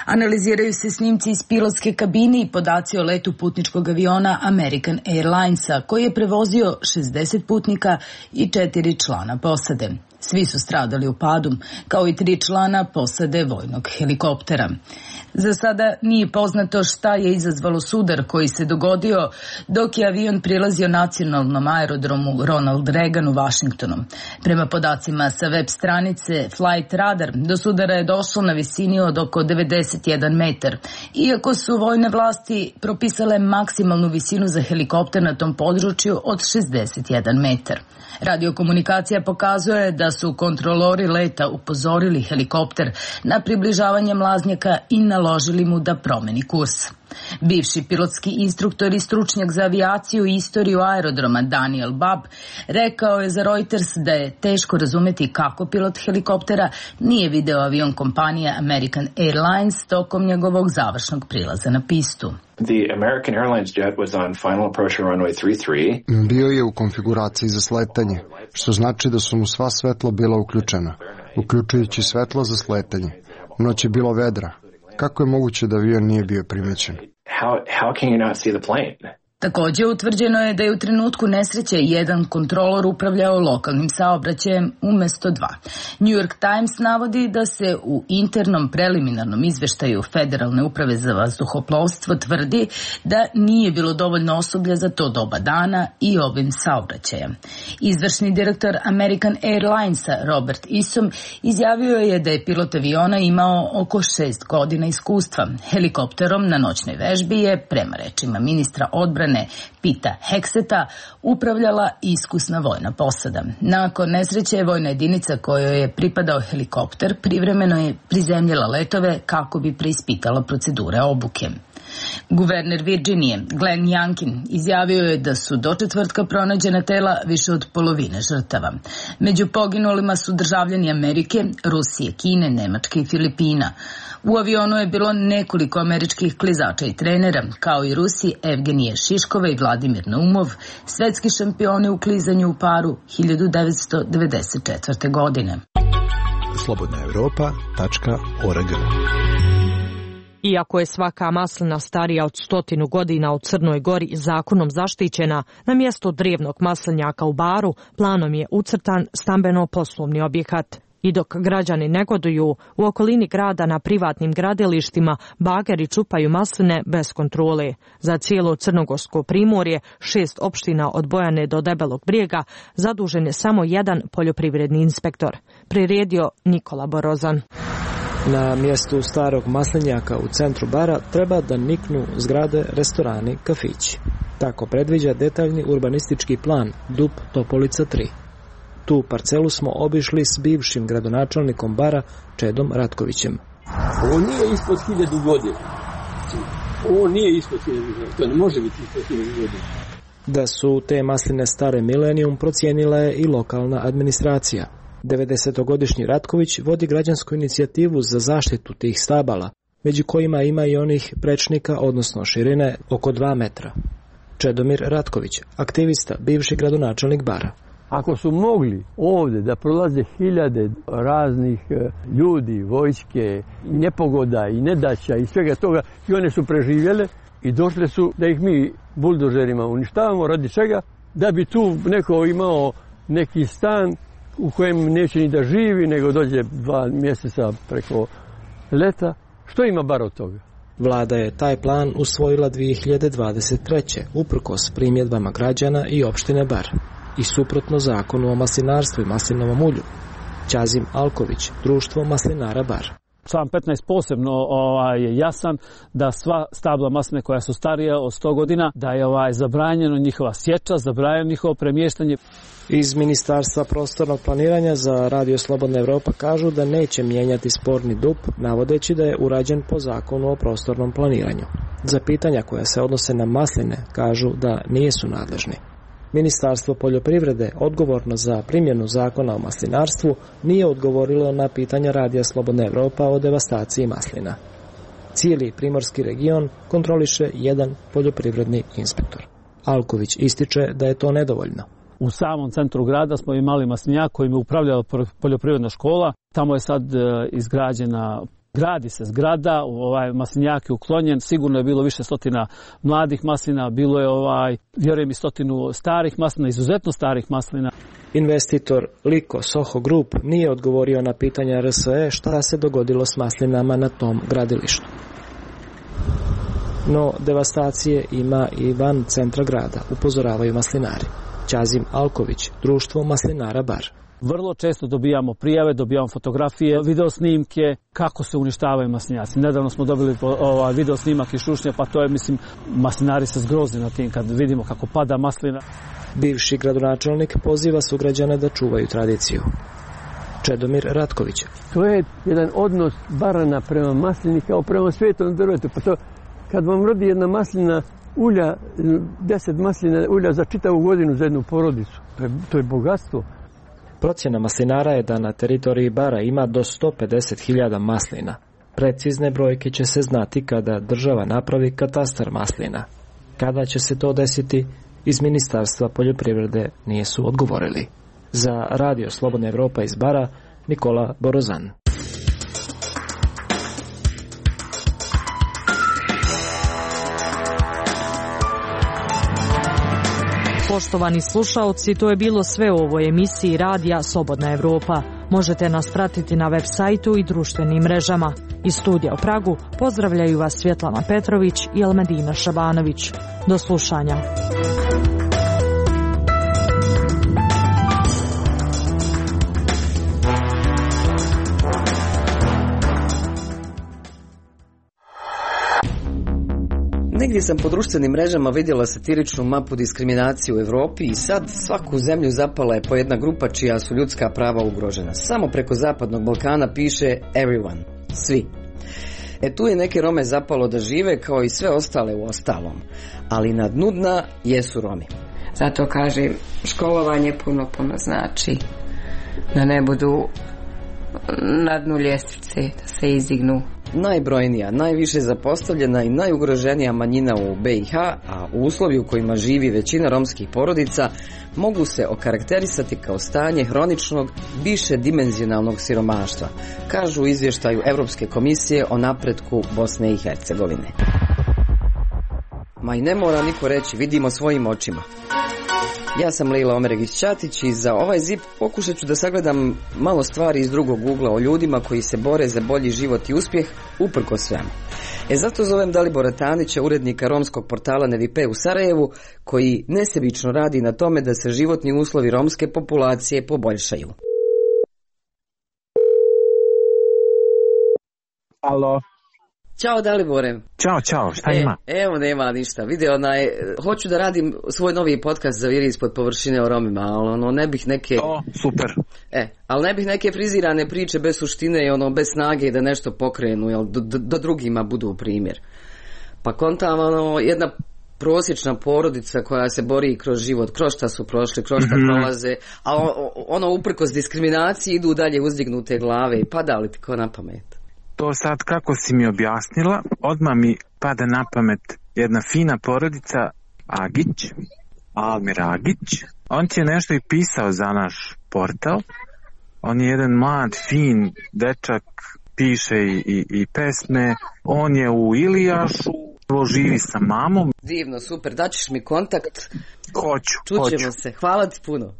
Analiziraju se snimci iz pilotske kabine i podaci o letu putničkog aviona American Airlinesa, koji je prevozio 60 putnika i 4 člana posade. Svi su stradali u padu, kao i 3 člana posade vojnog helikoptera. Za sada nije poznato šta je izazvalo sudar koji se dogodio dok je avion prilazio nacionalnom aerodromu Ronald Reagan u Vašingtonu. Prema podacima sa web stranice Flight Radar, do sudara je došlo na visini od oko 91 metar, iako su vojne vlasti propisale maksimalnu visinu za helikopter na tom području od 61 metar. Radiokomunikacija pokazuje da su kontrolori leta upozorili helikopter na približavanje mlaznjaka i naložili mu da promeni kurs. Bivši pilotski instruktor i stručnjak za avijaciju i istoriju aerodroma Daniel Babb rekao je za Reuters da je teško razumeti kako pilot helikoptera nije video avion kompanije American Airlines tokom njegovog završnog prilaza na pistu. The American Airlines jet was on final approach to runway 33. Bio je u konfiguraciji za sletanje, što znači da su mu sva svetla bila uključena, uključujući svetlo za sletanje. U noć je bilo vedra. Kako je moguće da avion nije bio primećen? How can you not see the plane? Također utvrđeno je da je u trenutku nesreće jedan kontrolor upravljao lokalnim saobraćajem umjesto dva. New York Times navodi da se u internom preliminarnom izveštaju Federalne uprave za vazduhoplovstvo tvrdi da nije bilo dovoljno osoblja za to doba dana i obim saobraćaja. Izvršni direktor American Airlinesa Robert Isom izjavio je da je pilot aviona imao oko 6 godina iskustva. Helikopterom na noćnoj vežbi je, prema rečima ministra odbrane Pita Hekseta, upravljala iskusna vojna posada. Nakon nesreće vojna jedinica kojoj je pripadao helikopter privremeno je prizemljala letove kako bi preispitala procedure obuke. Guverner Virginije Glenn Youngkin izjavio je da su do četvrtka pronađena tela više od polovine žrtava. Među poginulima su državljani Amerike, Rusije, Kine, Nemačke i Filipina. U avionu je bilo nekoliko američkih klizača i trenera, kao i Rusi Evgenije Šiškova i Vladimir Naumov, svetski šampioni u klizanju u paru 1994. godine. slobodnaevropa.org. Iako je svaka maslina starija od 100 godina u Crnoj Gori zakonom zaštićena, na mjesto drevnog maslinjaka u Baru planom je ucrtan stambeno-poslovni objekat. I dok građani negoduju, u okolini grada na privatnim gradilištima bageri čupaju masline bez kontrole. Za cijelo crnogorsko primorje, 6 opština od Bojane do Debelog Brijega, zadužen je samo jedan poljoprivredni inspektor. Priredio Nikola Borozan. Na mjestu starog maslinjaka u centru Bara treba da niknu zgrade, restorani, kafići. Tako predviđa detaljni urbanistički plan DUP Topolica 3. Tu parcelu smo obišli s bivšim gradonačelnikom Bara Čedom Ratkovićem. Ovo nije ispod 1000 godina. Ovo nije ispod 1000 godina. To ne može biti ispod 1000 godina. Da su te masline stare milenijum procijenila je i lokalna administracija. 90-godišnji Ratković vodi građansku inicijativu za zaštitu tih stabala, među kojima ima i onih prečnika, odnosno širine oko 2 metra. Čedomir Ratković, aktivista, bivši gradonačelnik Bara. Ako su mogli ovdje da prolaze hiljade raznih ljudi, vojske, nepogoda i nedaća i svega toga, i one su preživjele i došle su da ih mi buldožerima uništavamo, radi čega? Da bi tu neko imao neki stan u kojem neće ni da živi, nego dođe 2 mjeseca preko leta. Što ima Bar od toga? Vlada je taj plan usvojila 2023. uprkos primjedbama građana i opštine Bar i suprotno zakonu o maslinarstvu i maslinovom ulju. Ćazim Alković, društvo maslinara Bar. Član 15 posebno je jasan da sva stabla masline koja su starija od 100 godina, da je zabranjeno njihova sječa, zabranjeno njihovo premještanje. Iz Ministarstva prostornog planiranja za Radio Slobodna Evropa kažu da neće mijenjati sporni DUP, navodeći da je urađen po zakonu o prostornom planiranju. Za pitanja koja se odnose na masline kažu da nisu nadležni. Ministarstvo poljoprivrede, odgovorno za primjenu zakona o maslinarstvu, nije odgovorilo na pitanja Radija Slobodna Evropa o devastaciji maslina. Cijeli primorski region kontroliše jedan poljoprivredni inspektor. Alković ističe da je to nedovoljno. U samom centru grada smo imali maslinjak kojim je upravljala poljoprivredna škola. Tamo je sad izgrađena, gradi se zgrada, maslinjak je uklonjen, sigurno je bilo više stotina mladih maslina, bilo je vjerujem i 100 starih maslina, izuzetno starih maslina. Investitor Liko Soho Group nije odgovorio na pitanja RSE šta se dogodilo s maslinama na tom gradilištu. No, devastacije ima i van centra grada, upozoravaju maslinari. Ćazim Alković, društvo maslinara Bar. Vrlo često dobijamo prijave, dobijamo fotografije, videosnimke kako se uništavaju maslinjaci. Nedavno smo dobili video snimak iz Šušnja, pa to je, maslinari se zgroze na tim kad vidimo kako pada maslina. Bivši gradonačelnik poziva sugrađane da čuvaju tradiciju. Čedomir Ratković. To je jedan odnos Barana prema maslini kao prema svetom drvetu. Pa to, kad vam rodi jedna maslina ulja, 10 maslina ulja za čitavu godinu za jednu porodicu, to je bogatstvo. Procjena maslinara je da na teritoriji Bara ima do 150.000 maslina. Precizne brojke će se znati kada država napravi katastar maslina. Kada će se to desiti, iz Ministarstva poljoprivrede nisu odgovorili. Za Radio Slobodna Evropa iz Bara, Nikola Borozan. Poštovani slušaoci, to je bilo sve u ovoj emisiji radija Slobodna Evropa. Možete nas pratiti na web sajtu i društvenim mrežama. Iz studija u Pragu pozdravljaju vas Svjetlana Petrović i Elmedina Šabanović. Do slušanja. Negdje sam po društvenim mrežama vidjela satiričnu mapu diskriminacije u Europi i sad svaku zemlju zapala je po jedna grupa čija su ljudska prava ugrožena. Samo preko Zapadnog Balkana piše everyone, svi. Tu je neke Rome zapalo da žive kao i sve ostale u ostalom, ali na dnu dna jesu Romi. Zato kažem, školovanje puno znači da ne budu na dnu ljestvice, da se izdignu. Najbrojnija, najviše zapostavljena i najugroženija manjina u BiH, a u uslovi u kojima živi većina romskih porodica, mogu se okarakterisati kao stanje hroničnog, višedimenzionalnog siromaštva, kažu u izvještaju Europske komisije o napretku Bosne i Hercegovine. Ma i ne mora niko reći, vidimo svojim očima. Ja sam Lejla Omeregić-Ćatić i za ovaj ZIP pokušat ću da sagledam malo stvari iz drugog ugla o ljudima koji se bore za bolji život i uspjeh uprkos svemu. Zato zovem Dalibora Tanića, urednika romskog portala Nevipe u Sarajevu, koji nesebično radi na tome da se životni uslovi romske populacije poboljšaju. Alo. Ćao Dalibore. Ćao, šta ima? Evo nema ništa. Vidi, hoću da radim svoj novi podcast za Viri ispod površine o Romima, ali ne bih neke... super. Ali ne bih neke frizirane priče bez suštine i bez snage da nešto pokrenu, da drugima budu primjer. Pa kontam, jedna prosječna porodica koja se bori kroz život, kroz šta su prošli, kroz šta prolaze, a uprkos diskriminaciji idu dalje uzdignute glave i pada li ti ko na pamet? To sad kako si mi objasnila, odmah mi pada na pamet jedna fina porodica Agić, Almir Agić. On ti je nešto i pisao za naš portal. On je jedan mlad, fin dečak, piše i pesme. On je u Ilijašu, živi sa mamom. Divno, super, daćeš mi kontakt. Hoću. Čućemo se, hvala ti puno.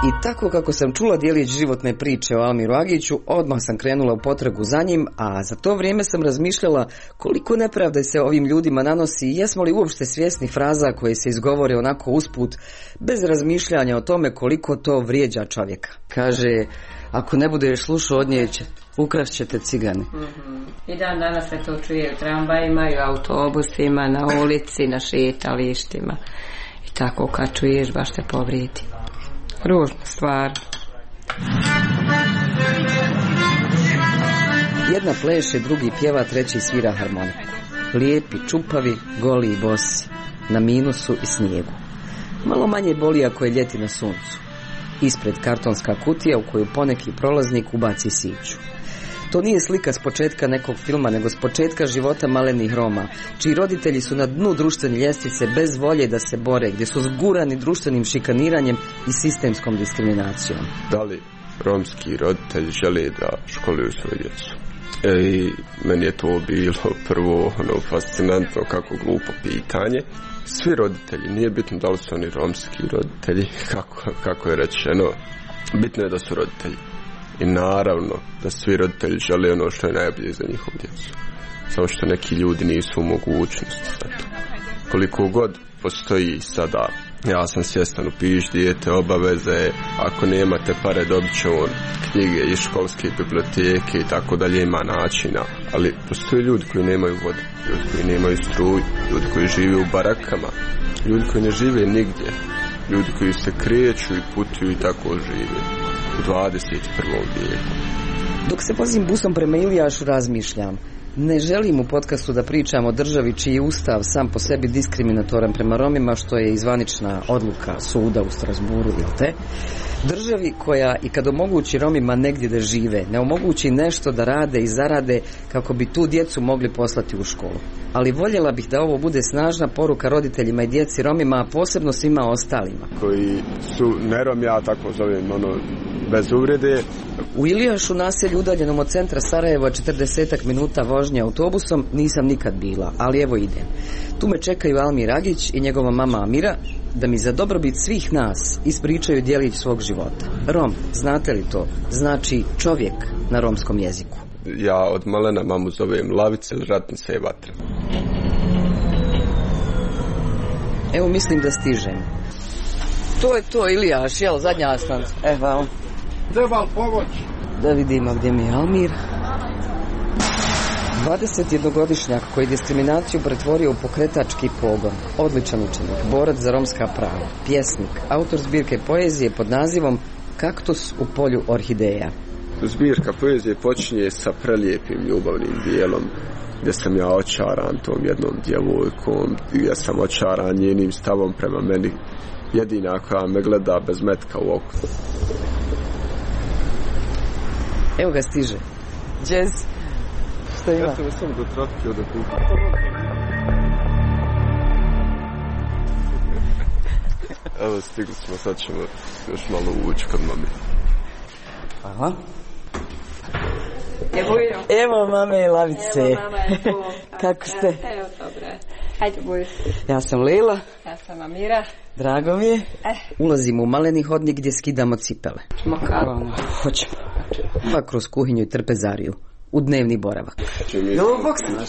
I tako kako sam čula djelić životne priče o Almiru Agiću, odmah sam krenula u potragu za njim, a za to vrijeme sam razmišljala koliko nepravde se ovim ljudima nanosi i jesmo li uopšte svjesni fraza koje se izgovore onako usput, bez razmišljanja o tome koliko to vrijeđa čovjeka. Kaže, ako ne budeš slušao od nje, ukrašćete cigani. I dan danas se to čuje u tramvajima i u autobusima, na ulici, na šetalištima. I tako kad čuješ, baš te povrijedi. Ružna stvar. Jedna pleše, drugi pjeva, treći svira harmoniku. Lijepi, čupavi, goli i bosi. Na minusu i snijegu. Malo manje boli ako je ljeti na suncu. Ispred kartonska kutija u koju poneki prolaznik ubaci siću. To nije slika s početka nekog filma, nego s početka života malenih Roma, čiji roditelji su na dnu društvene ljestvice bez volje da se bore, gdje su zgurani društvenim šikaniranjem i sistemskom diskriminacijom. Da li romski roditelji žele da školuju svoju djecu? I meni je to bilo prvo fascinantno, kako glupo pitanje. Svi roditelji, nije bitno da li su oni romski roditelji, kako je rečeno, bitno je da su roditelji. I naravno da svi roditelji žele ono što je najbolje za njihovu djecu. Samo što neki ljudi nisu u mogućnosti za to. Koliko god postoji sada, ja sam svjestan, upiš dijete, obaveze, ako nemate pare dobit će on knjige iz školske biblioteke i tako dalje, ima načina. Ali postoje ljudi koji nemaju vodu, ljudi koji nemaju struju, ljudi koji žive u barakama, ljudi koji ne žive nigdje, ljudi koji se kreću i putuju i tako žive u 21. vijeku. Dok se vozim busom prema Ilijašu, razmišljam. Ne želim u podcastu da pričam o državi čiji je ustav sam po sebi diskriminatoran prema Romima, što je izvanična odluka suda u Strasburu, jel te? Državi koja i kad omogući Romima negdje da žive, ne omogući nešto da rade i zarade kako bi tu djecu mogli poslati u školu. Ali voljela bih da ovo bude snažna poruka roditeljima i djeci Romima, a posebno svima ostalima. Koji su ne Romi, ja tako zovem, bez uvrede. U Ilijašu, naselju udaljenom od centra Sarajeva 40 minuta vožnje autobusom, nisam nikad bila, ali evo idem. Tu me čekaju Almir Agić i njegova mama Amira da mi za dobrobit svih nas ispričaju djelić svog života. Rom, znate li to? Znači čovjek na romskom jeziku. Ja od malena mamu zovem Lavice, Ratnica i Vatra. Evo mislim da stižem. To je to, Ilijaš, jel, zadnja stanca. Evo. Treba pomoć. Da vidimo gdje mi je Almir. 21-godišnjak koji diskriminaciju pretvorio u pokretački pogon. Odličan učenik, borac za romska prava, pjesnik, autor zbirke poezije pod nazivom Kaktus u polju orhideja. Zbirka poezije počinje sa prelijepim ljubavnim dijelom gdje sam ja očaran tom jednom djevojkom, gdje sam očaran njenim stavom prema meni, jedina koja me gleda bez metka u oku. Evo ga stiže. Jazz. Šta ima? Ja sam samo do trafike od okupa. Evo stigli smo, sad ćemo još malo ući kod mame. Aha. Evo mame Lavice. Evo mama je tu. Kako ste? Evo dobre. Hajde buj. Ja sam Lejla. Ja sam Amira. Drago mi je. Ulazimo u maleni hodnik gdje skidamo cipele. Ćemo kako? Hoćemo. Pa kroz kuhinju i trpezariju. U dnevni boravak. Jel ovo boks naš?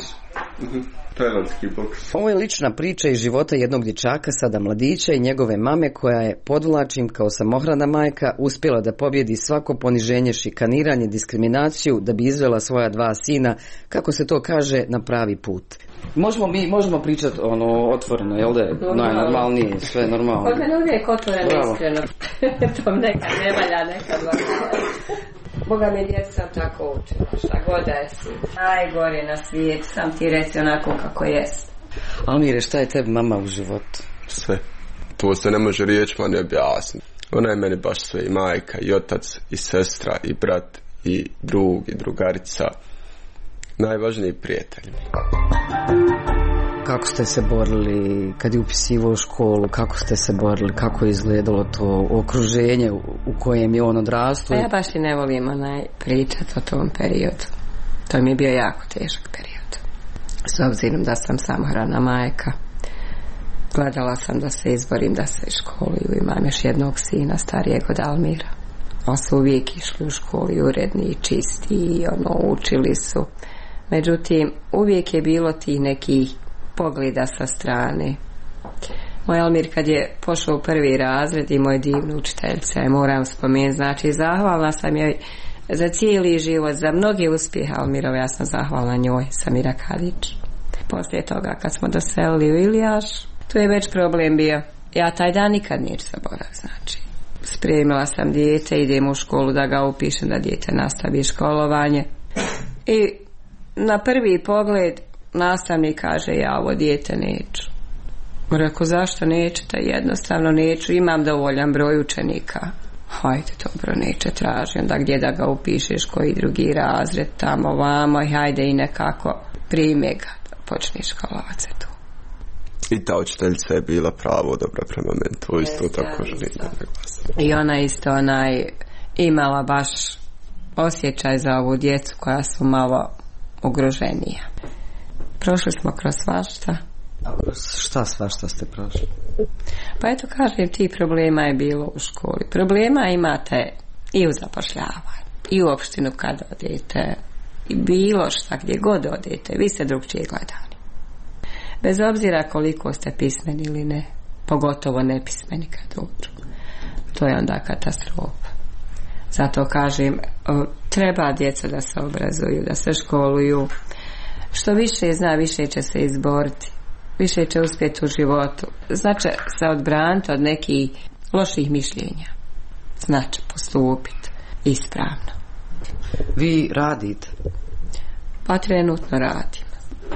Tajlandski boks. Ovo je lična priča iz života jednog dječaka, sada mladića, i njegove mame koja je, podvlačim, kao samohrana majka uspjela da pobjedi svako poniženje, šikaniranje, diskriminaciju, da bi izvela svoja 2 sina, kako se to kaže, na pravi put. Možemo pričati otvoreno, jel da je najnormalnije, sve normalno. Kod mene uvijek otvoreno, iskreno. To nekad ne valja, nekad valja. Boga mi djeca sam tako učila, šta god da jesi. Najgore na svijetu, sam ti reci onako kako jest. Almire, šta je tebi mama u životu? Sve. To se ne može riječima ne objasniti. Ona je meni baš sve, i majka, i otac, i sestra, i brat, i drug, i drugarica. Najvažniji prijatelj. Kako ste se borili kad je upisivao školu, kako ste se borili, kako je izgledalo to okruženje u kojem je on odrastao? Ja baš i ne volim pričati o tom periodu. To mi je bio jako težak period. S obzirom da sam samohrana majka, gledala sam da se izborim da se školuju. Imam još jednog sina starijeg od Almira. Oni su uvijek išli u školu uredni, čisti i učili su. Međutim, uvijek je bilo tih nekih pogleda sa strane. Moj Almir kad je pošao u 1. razred i moj divnu učiteljica, moram spomenuti, znači zahvalna sam joj za cijeli život, za mnoge uspjehe Almirove, ja sam zahvalna njoj, Samira Kadić. Poslije toga kad smo doselili u Ilijaš, tu je već problem bio. Ja taj dan nikad neću zaboraviti, znači. Spremila sam dijete, idem u školu da ga upišem, da dijete nastavi školovanje. I na prvi pogled nastavnik kaže, ja ovo dijete neću. Rekao, zašto nećete? Jednostavno neću, imam dovoljan broj učenika. Hajde, dobro, neće, traži. Onda gdje da ga upišeš, koji drugi razred, tamo, vamo, i hajde i nekako prime ga, da počneš školovat se tu. I ta učiteljica je bila pravo dobra prema meni, to isto tako želim da naglasim. I ona isto imala baš osjećaj za ovu djecu koja su malo ugroženija. Prošli smo kroz svašta. Šta svašta ste prošli? Pa eto kažem, ti problema je bilo u školi. Problema imate i u zapošljavanju, i u opštinu kad odete, i bilo šta gdje god odete, vi ste drugčije gledani. Bez obzira koliko ste pismeni ili ne, pogotovo nepismeni kad dođu. To je onda katastrofa. Zato kažem, treba djeca da se obrazuju, da se školuju. Što više zna, više će se izboriti, više će uspjeti u životu. Znači se odbraniti od nekih loših mišljenja. Znači postupiti ispravno. Vi radite? Pa trenutno radim.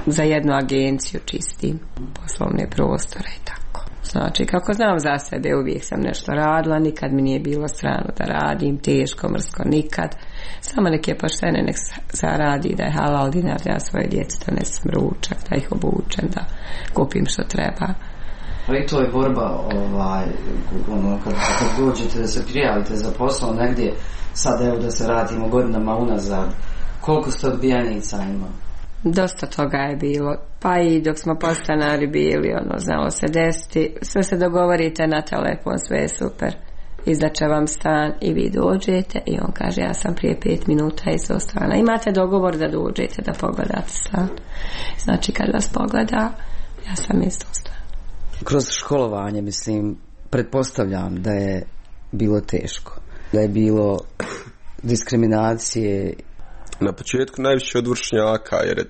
Za jednu agenciju čistim poslovne prostore i tako. Znači, kako znam za sebe, uvijek sam nešto radila, nikad mi nije bilo strano da radim, teško, mrsko, nikad. Samo neke poštene nek zaradi, da je halal dinar, da ja svoje djece donesem ručak, da ih obučem, da kupim što treba. Ali to je borba, kad dođete da se prijavite za posao negdje, sad evo da se vratimo godinama unazad, koliko ste odbijanica imali? Dosta toga je bilo, pa i dok smo podstanari bili, znalo se desiti, sve se dogovorite na telefon, sve je super, izdaće vam stan i vi dođete i on kaže ja sam prije 5 minuta iz stana, imate dogovor da dođete da pogledate stan, znači kad vas pogleda ja sam iz stana. Kroz školovanje, mislim, pretpostavljam da je bilo teško, da je bilo diskriminacije. Na početku najviše od vršnjaka, jer je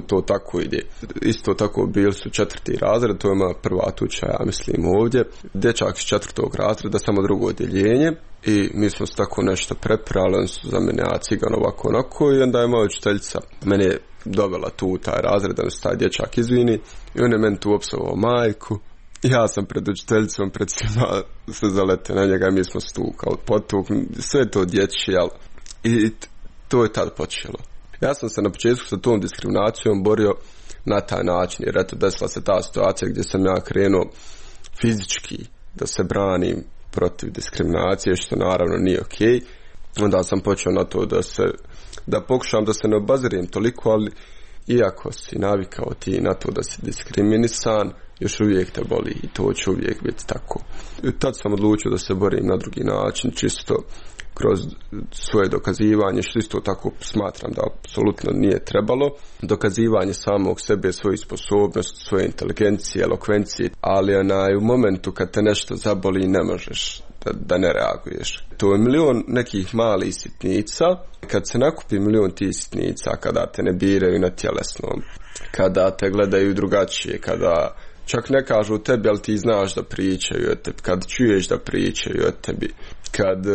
to tako ide. Isto tako bili su 4. razred, to je moja prva tuča, ja mislim, ovdje. Dječak iz 4. razreda, samo drugo odjeljenje, i mi smo se tako nešto preprali, oni su za mene cigan ovako onako, i onda je moja učiteljica mene dovela tu u taj razred, da se taj dječak izvini, i on je meni tu opsovao majku. Ja sam pred učiteljicom, pred svima se zaletio na njega, mi smo stukali, potukli, sve to dječje, jel? I to je tad počelo. Ja sam se na početku sa tom diskriminacijom borio na taj način, jer eto desila se ta situacija gdje sam ja krenuo fizički da se branim protiv diskriminacije, što naravno nije okej. Onda sam počeo na to da pokušam da se ne obazirim toliko, ali iako si navikao ti na to da si diskriminisan, još uvijek te boli i to će uvijek biti tako. I tad sam odlučio da se borim na drugi način, čisto kroz svoje dokazivanje, što isto tako smatram da apsolutno nije trebalo. Dokazivanje samog sebe, svoje sposobnosti, svoje inteligencije, elokvencije, ali u momentu kad te nešto zaboli ne možeš da ne reaguješ. To je milion nekih malih sitnica. Kad se nakupi milion tih sitnica, kada te ne biraju na tjelesnom, kada te gledaju drugačije, kada čak ne kažu tebi, ali ti znaš da pričaju o tebi, kad čuješ da pričaju o tebi, kad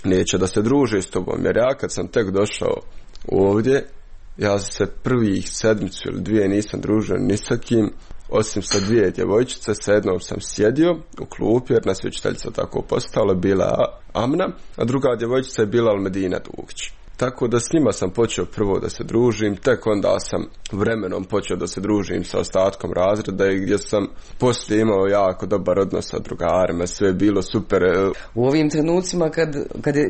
neće da se druže s tobom, jer ja kad sam tek došao ovdje, ja se prvih sedmicu ili 2 nisam družio ni sa kim, osim sa 2 djevojčice, sa jednom sam sjedio u klupi, jer nas je učiteljica tako postala, bila Amna, a druga djevojčica je bila Almedina Dugić. Tako da s njima sam počeo prvo da se družim, tek onda sam vremenom počeo da se družim sa ostatkom razreda i gdje sam poslije imao jako dobar odnos sa drugarima, sve je bilo super. U ovim trenucima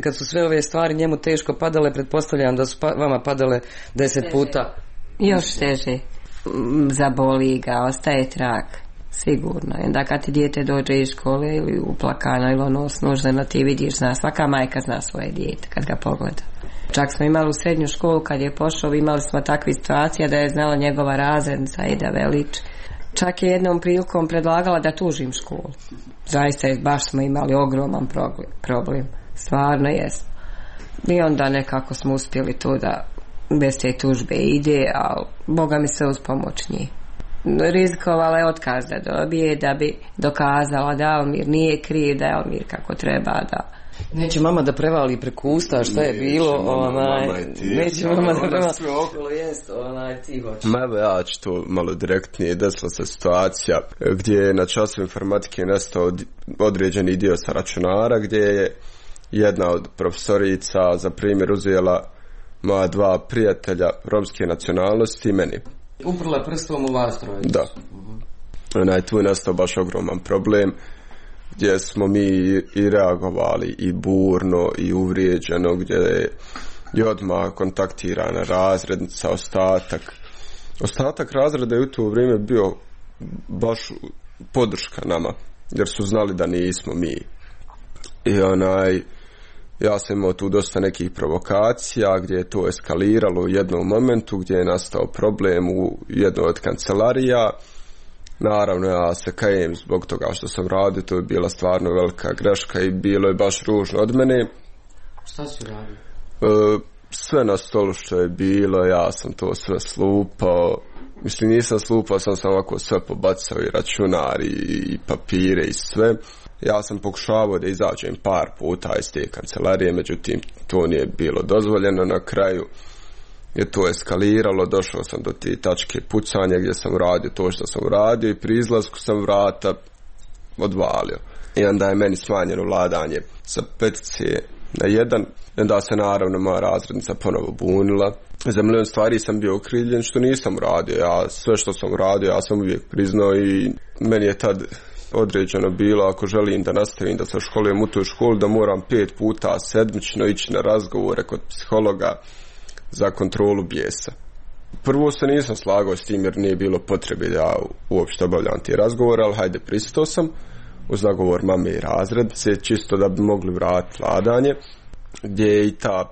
kad su sve ove stvari njemu teško padale, pretpostavljam da su vama padale 10 puta. Još teže. Zaboli ga, ostaje trag. Sigurno. Onda kad ti dijete dođe iz škole ili uplakano ili ono snuždeno, ti vidiš, svaka majka zna svoje dijete kad ga pogleda. Čak smo imali u srednju školu kad je pošao, imali smo takve situacije da je znala njegova razrednica Eda Velić. Čak je jednom prilikom predlagala da tužim školu. Zaista baš smo imali ogroman problem. Stvarno jest. I onda nekako smo uspjeli to da bez te tužbe ide, ali Boga mi se uz pomoć njih. Rizikovala je otkaz da dobije, da bi dokazala da Almir nije kriv, da je Almir kako treba da... Neće mama da prevali preko usta šta je bilo, neće mama da prevali sve okolo, jest, ti hoćeš. Ja ću to malo direktnije. Desila se situacija gdje je na času informatike nestao određeni dio sa računara, gdje je jedna od profesorica za primjer uzela moja 2 prijatelja romske nacionalnosti i meni. Uprla prstom u vas troje. Da. Tu je nastao baš ogroman problem, gdje smo mi i reagovali i burno i uvrijeđeno, gdje je odmah kontaktirana razrednica, ostatak razreda je u to vrijeme bio baš podrška nama, jer su znali da nismo mi. I ja sam imao tu dosta nekih provokacija gdje je to eskaliralo u jednom momentu, gdje je nastao problem u jednoj od kancelarija. Naravno, ja se kajem zbog toga što sam radio, to je bila stvarno velika greška i bilo je baš ružno od mene. Šta si radio? Sve na stolu što je bilo, ja sam to sve slupao. Mislim, nisam slupao, sam ovako sve pobacao, i računar, i papire, i sve. Ja sam pokušavao da izađem par puta iz te kancelarije, međutim, to nije bilo dozvoljeno. Na kraju je to eskaliralo, došao sam do te tačke pucanja gdje sam radio to što sam radio i pri izlasku sam vrata odvalio. I onda je meni smanjeno vladanje sa 5 na 1. Onda se naravno moja razrednica ponovo bunila. Za milion stvari sam bio okrivljen što nisam uradio. Ja sve što sam uradio, ja sam uvijek priznao i meni je tad određeno bilo, ako želim da nastavim da se školujem u toj školi, da moram 5 puta sedmično ići na razgovore kod psihologa za kontrolu bijesa. Prvo se nisam slagao s tim jer nije bilo potrebe da ja uopšte obavljam te razgovore, ali hajde, pristao sam uz nagovor mame i razrednice, čisto da bi mogli vratiti vladanje, gdje je i ta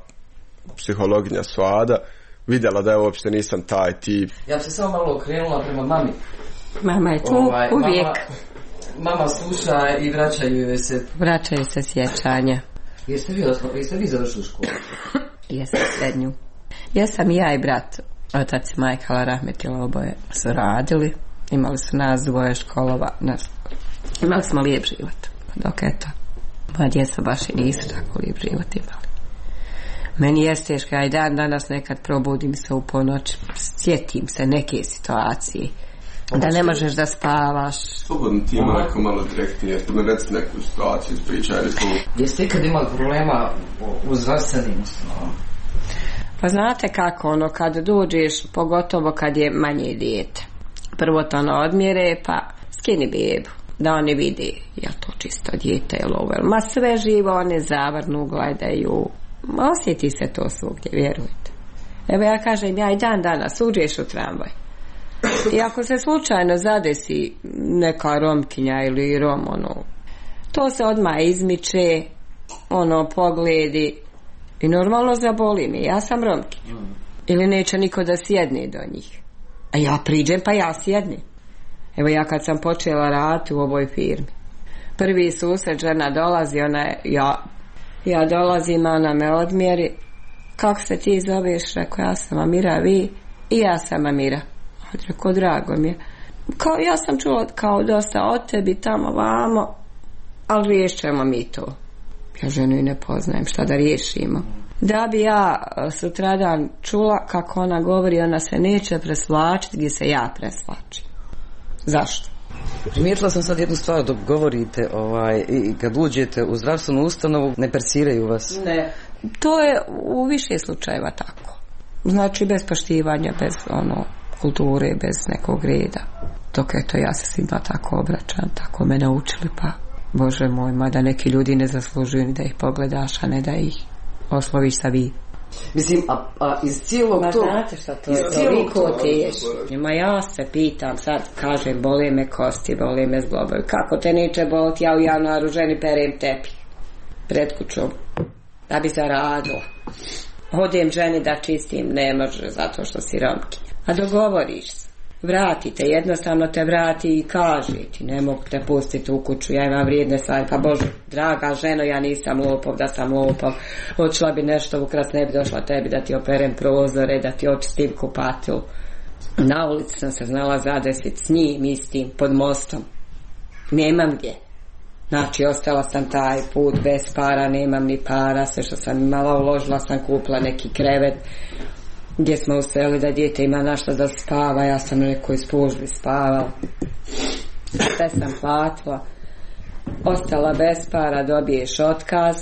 psihologinja Svada vidjela da ja uopšte nisam taj tip. Ja bi se samo malo okrenula prema mami. Mama je tu uvijek. Mama sluša i vraćaju se sjećanja. Jeste vi završili školu? Jesam srednju. Jesam i ja i brat. Otac i majka Allah rahmetila, oboje su radili. Imali su nas dvoje školova. Imali smo lijep život. Dok eto, moja djeca baš i nisu tako lijep život imali. Meni je teško, ja i danas nekad probudim se u ponoć, sjetim se neke situacije. Da ne možeš da spavaš. Slobodno ti ima neko malo direktnije, da me reci neku situaciju ispričaj. Jeste ikad imali problema u zdravstvenim ustanovama? Pa znate kako, kad dođeš, pogotovo kad je manje dijete. Prvo to odmjere, pa skini bebu, da oni vidi je to čisto dijete ili ovo. Ma sve živo, one zavrnu, gledaju. Ma osjeti se to svugdje, vjerujte. Evo ja kažem, ja i danas uđeš u tramvaj. I ako se slučajno zadesi neka Romkinja ili Rom, to se odmah izmiče, pogledi i normalno zaboli mi. Ja sam Romkinja. Ili neće niko da sjedne do njih. A ja priđem pa ja sjednem. Evo ja kad sam počela raditi u ovoj firmi, prvi susret, žena dolazi, ja dolazim, ona me odmjeri. Kako se ti zoveš? Rekao, ja sam Amira, vi? I ja sam Amira. Rekao, drago mi je. Ja sam čula kao dosta od tebi tamo vamo, ali riješćemo mi to. Ja ženu i ne poznajem, šta da riješimo. Da bi ja sutradan čula kako ona govori, ona se neće presvlačiti gdje se ja presvlačim. Zašto? Primijetila sam sad jednu stvar, dok govorite i kad uđete u zdravstvenu ustanovu, ne persiraju vas. Ne, to je u više slučajeva tako. Znači bez poštivanja, bez kulture, bez nekog reda. Dok eto ja se svima tako obraćam, tako me naučili, pa Bože moj, mada neki ljudi ne zaslužuju ni da ih pogledaš, a ne da ih osloviš sa vi. Mislim, a iz cijelog to... Znate šta to je, toliko teško. Ma ja se pitam, sad kažem, bole me kosti, bole me zglobovi. Kako te neće boliti, ja u januaru ženi perem tepih pred kućom, da bi zaradila. Odem ženi da čistim, ne može, zato što si Romkinja. A dogovoriš se, vratite, jednostavno te vrati i kaže ti, ne mogu te pustiti u kuću, ja imam vrijedne stvari, pa Bože, draga ženo, ja nisam lopov, da sam lopov, odšla bi nešto ukrat, ne bi došla tebi da ti operem prozore, da ti očistim kupatilu. Na ulici sam se znala zadesiti s njim istim, pod mostom. Nemam gdje. Znači, ostala sam taj put bez para, nemam ni para, sve što sam imala uložila sam, kupila neki krevet gdje smo uspjeli da dijete ima našta da spava, ja sam u nekoj službi spavala. Sve sam platila, ostala bez para, dobiješ otkaz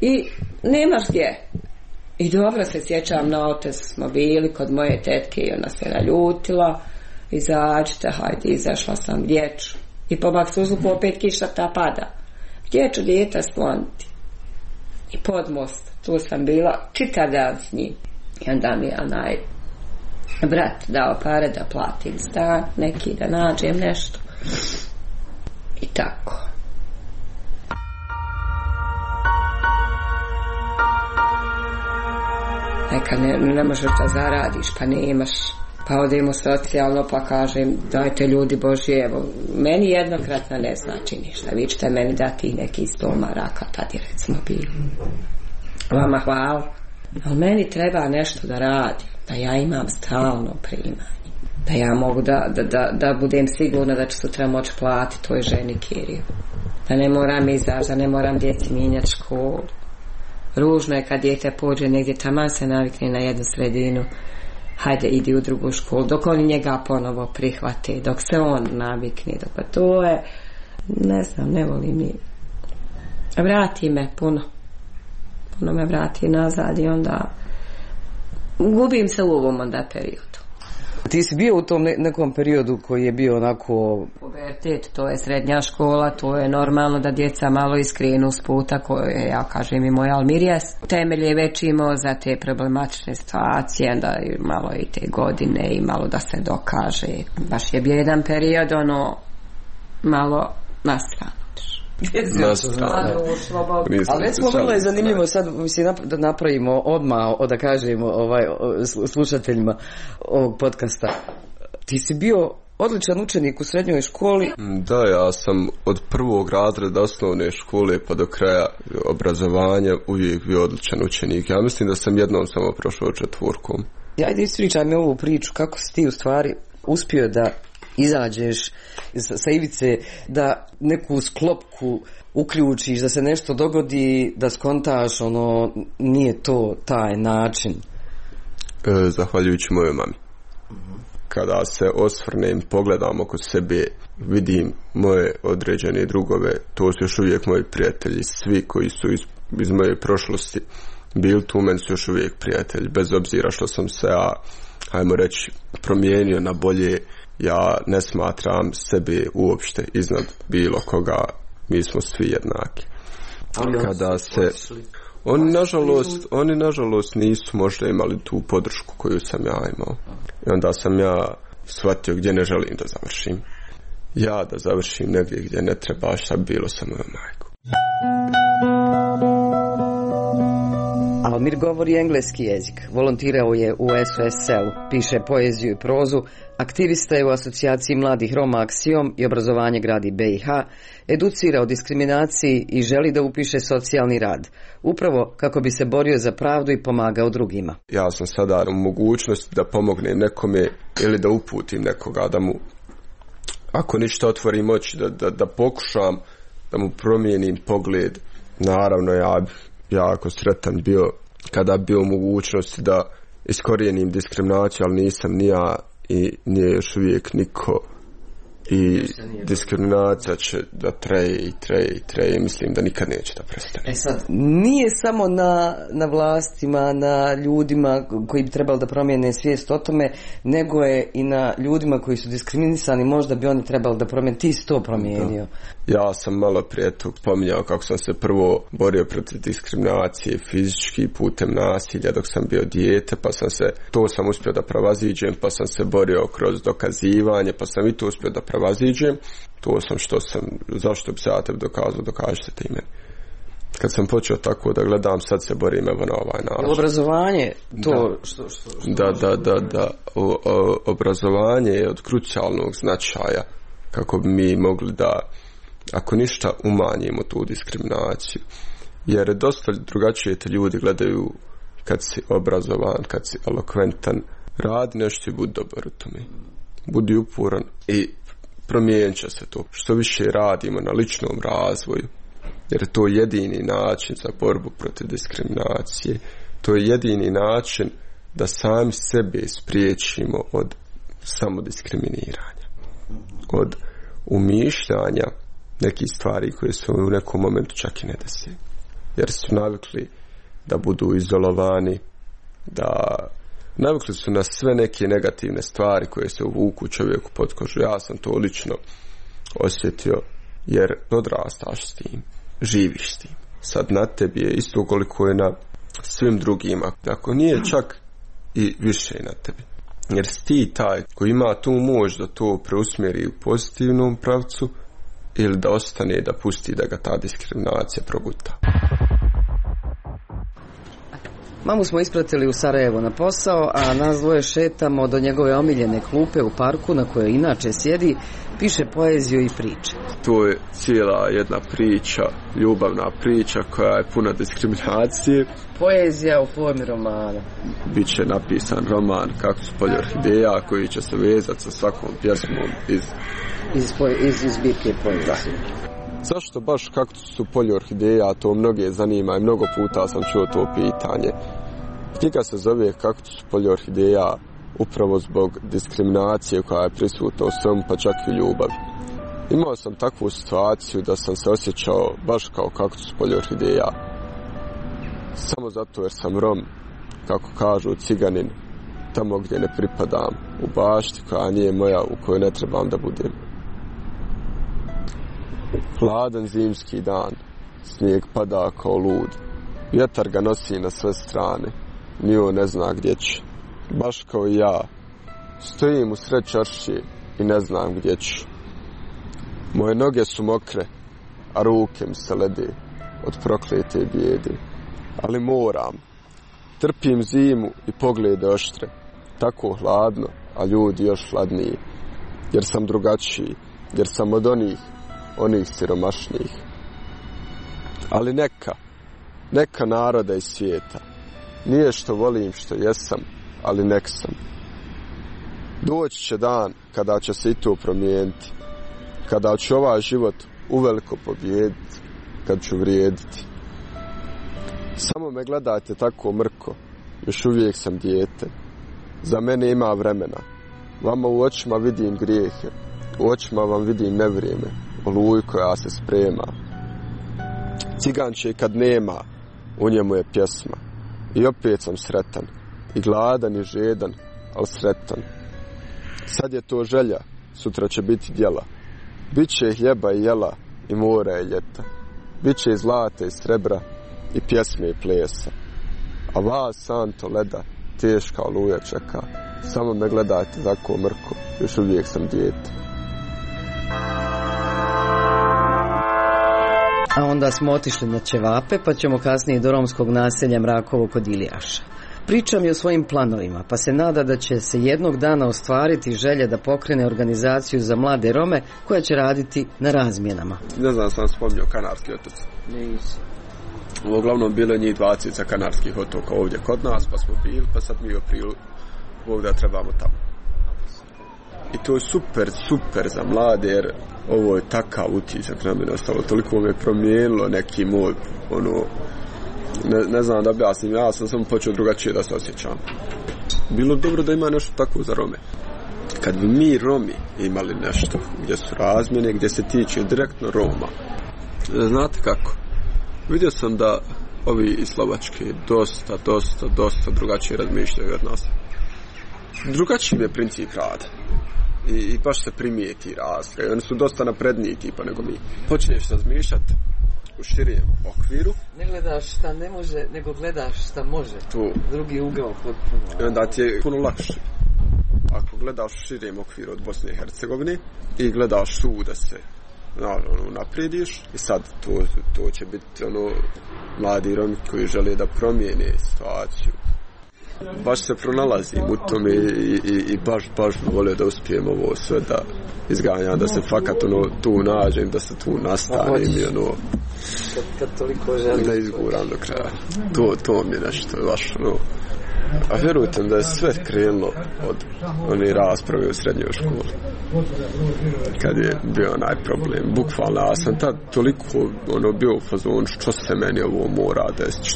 i nemaš gdje. I dobro se sjećam, na otes smo bili kod moje tetke i ona se naljutila, izađite, hajde, izašla sam dječu. I po Maksuzluku opet kiša ta pada. Gdje ću dijete skloniti? I pod most, tu sam bila čitav dan s njim. I onda mi je onaj brat dao pare da platim stan, neki da nađem nešto. I tako. Neka ne možeš da zaradiš, pa nemaš. Pa odemo socijalno, pa kažem, dajte ljudi Božji, evo, meni jednokratno ne znači ništa. Vi ćete meni dati neki 100 maraka, tad je recimo bilo. Vama hvala. Ali meni treba nešto da radim, da ja imam stalno primanje. Da ja mogu da budem sigurna da ću sutra moći platiti toj ženi kiriju. Da ne moram izaći, da ne moram djeci mijenjati školu. Ružno je kad dijete pođe negdje, taman se navikne na jednu sredinu. Hajde, idi u drugu školu, dok oni njega ponovo prihvate, dok se on navikne, pa to je, ne znam, ne volim ni Vrati me puno me vrati nazad i onda gubim se u ovom onda periodu. Ti si bio u tom nekom periodu koji je bio onako... Pubertet, to je srednja škola, to je normalno da djeca malo iskrenu s puta koje, ja kažem i moj Almirija, temelje već imao za te problematične situacije, da malo i te godine i malo da se dokaže. Baš je bio jedan period, malo nastrano. Ali recimo vrlo je zanimljivo sad da napravimo odmah, da kažemo slušateljima ovog podcasta. Ti si bio odličan učenik u srednjoj školi. Da, ja sam od prvog razreda osnovne škole pa do kraja obrazovanja uvijek bio odličan učenik. Ja mislim da sam jednom samo prošao 4. Ajde ispričaj mi ovu priču, kako si ti u stvari uspio da izađeš sa ivice, da neku sklopku uključiš, da se nešto dogodi, da skontaš, nije to taj način. Zahvaljujući mojoj mami. Kada se osvrnem, pogledam oko sebe, vidim moje određene drugove, to su još uvijek moji prijatelji, svi koji su iz moje prošlosti bili tu, meni su još uvijek prijatelji, bez obzira što sam se, hajmo reći, promijenio na bolje. Ja ne smatram sebe uopšte iznad bilo koga, mi smo svi jednaki. Kada se oni nažalost nisu možda imali tu podršku koju sam ja imao. I onda sam ja shvatio gdje ne želim da završim. Ja da završim negdje gdje ne treba, šta bi bilo sa mojom majkom. Almir govori engleski jezik, volontirao je u SOS-u, piše poeziju i prozu, aktivista je u asocijaciji mladih Roma Aksiom i obrazovanje gradi BiH, educira o diskriminaciji i želi da upiše socijalni rad, upravo kako bi se borio za pravdu i pomagao drugima. Ja sam sada u mogućnosti da pomognem nekome ili da uputim nekoga, da mu, ako ništa, otvorim oči, da pokušam da mu promijenim pogled. Naravno, ja jako sretan bio kada bio u mogućnosti da iskorijenim diskriminaciju, ali nisam ni ja i nije još uvijek niko, i diskriminacija će da treje, mislim da nikad neće da prestane. Sad, nije samo na vlastima, na ljudima koji bi trebali da promijene svijest o tome, nego je i na ljudima koji su diskriminisani, možda bi oni trebali da promijene. Ti si to promijenio. Ja sam malo prije tu pominjao kako sam se prvo borio protiv diskriminacije fizički putem nasilja dok sam bio dijete, pa to sam uspio da prevaziđem, pa sam se borio kroz dokazivanje, pa sam i to uspio da prevaziđem. To sam zašto bi se ja tebi dokazao, dokažite ti meni. Kad sam počeo tako da gledam, sad se borim evo na ovaj način. Obrazovanje, to Da. Obrazovanje je od krucijalnog značaja kako bi mi mogli da, ako ništa, umanjimo tu diskriminaciju. Jer dosta drugačije te ljudi gledaju kad si obrazovan, kad si elokventan. Radi nešto i budi dobar u tome. Budi uporan i promijenit će se to. Što više radimo na ličnom razvoju, jer to je jedini način za borbu protiv diskriminacije. To je jedini način da sami sebe spriječimo od samodiskriminiranja, od umišljanja nekih stvari koje su u nekom momentu čak i ne desi. Jer su navikli da budu izolovani, navikli su na sve neke negativne stvari koje se uvuku čovjeku pod kožu. Ja sam to lično osjetio, jer odrastaš s tim, živiš s tim. Sad na tebi je isto koliko je na svim drugima, ako nije čak i više na tebi. Jer si ti taj koji ima tu moć da to preusmjeri u pozitivnom pravcu ili da ostane, da pusti da ga ta diskriminacija proguta. Mamu smo ispratili u Sarajevo na posao, a nas dvoje šetamo do njegove omiljene klupe u parku na kojoj inače sjedi, piše poeziju i priče. To je cijela jedna priča, ljubavna priča koja je puna diskriminacije. Poezija u formi romana. Biće napisan roman Kaktus polje orhideja koji će se vezati sa svakom pjesmom iz zbirke poezije. Zašto baš Kaktus u polju orhideja, to mnoge zanima i mnogo puta sam čuo to pitanje. Knjiga se zove Kaktus u polju orhideja upravo zbog diskriminacije koja je prisutna u svemu, pa čak i u ljubavi. Imao sam takvu situaciju da sam se osjećao baš kao kaktus polje orhideja. Samo zato jer sam Rom, kako kažu ciganin, tamo gdje ne pripadam, u bašti koja nije moja, u kojoj ne trebam da budem. Hladan zimski dan, snijeg pada kao lud, vjetar ga nosi na sve strane, ni on ne zna gdje će. Baš kao i ja, stojim u sred čaršije i ne znam gdje ću. Moje noge su mokre, a ruke mi se lede od proklete bijede. Ali moram, trpim zimu i poglede oštre, tako hladno, a ljudi još hladniji, jer sam drugačiji, jer sam od onih siromašnijih. Ali neka naroda iz svijeta, nije što volim što jesam, ali nek sam. Doći će dan kada će se i to promijeniti, kada ću ovaj život uveliko pobijediti, kad ću vrijediti. Samo me gledajte tako mrko, još uvijek sam dijete. Za mene ima vremena. Vama u očima vidim grijehe, u očima vam vidim nevrijeme, oluj koja se sprema. Ciganče kad nema, u njemu je pjesma. I opet sam sretan, i gladan i žedan, ali sretan. Sad je to želja, sutra će biti djela. Biće hljeba i jela, i mora i ljeta. Biće i zlata i srebra, i pjesme i plesa. A vas santo leda, teška oluja čeka. Samo me gledajte tako mrko, još uvijek sam dijete. A onda smo otišli na ćevape, pa ćemo kasnije do romskog naselja Mrakovo kod Ilijaša. Priča mi o svojim planovima, pa se nada da će se jednog dana ostvariti želja da pokrene organizaciju za mlade Rome koja će raditi na razmjenama. Ne znam, sam spominjao Kanarski otoci. Nisam. Uglavnom bilo je njih 20 Kanarskih otoka ovdje kod nas, pa smo bili, pa sad mi u aprilu Bog da trebamo tamo. I to je super za mlade, jer ovo je takav utisak na mene ostalo, toliko me promijenilo neki moj, ne znam da objasnim, ja sam samo počeo drugačije da se osjećam. Bilo dobro da ima nešto tako za Rome. Kad bi mi Romi imali nešto gdje su razmjene, gdje se tiče direktno Roma, znate kako? Vidio sam da ovi iz Slovačke dosta drugačije razmišljaju od nas. Drugačiji je princip rada. I baš se primijeti razlika. I oni su dosta napredniji tipa nego mi. Počneš razmišljati u širijem okviru. Ne gledaš šta ne može, nego gledaš šta može. Tu. Drugi ugao potpuno. I onda ti je puno lakše. Ako gledaš u širijem okviru od Bosne i Hercegovine i gledaš tu da se naprediš, i sad to će biti mladi Romi koji žele da promijene situaciju. Baš se pronalazim u tome i baš volio da uspijem ovo sve da izganjam, da se fakat tu nađem, da se tu nastanem i kad toliko želim da izguram do kraja. To mi je nešto baš A vjerujte da je sve krenulo od one rasprave u srednjoj školi. Kad je bio onaj problem. Bukvalno, ja sam tad toliko bio u fazonu što se meni ovo mora desiti,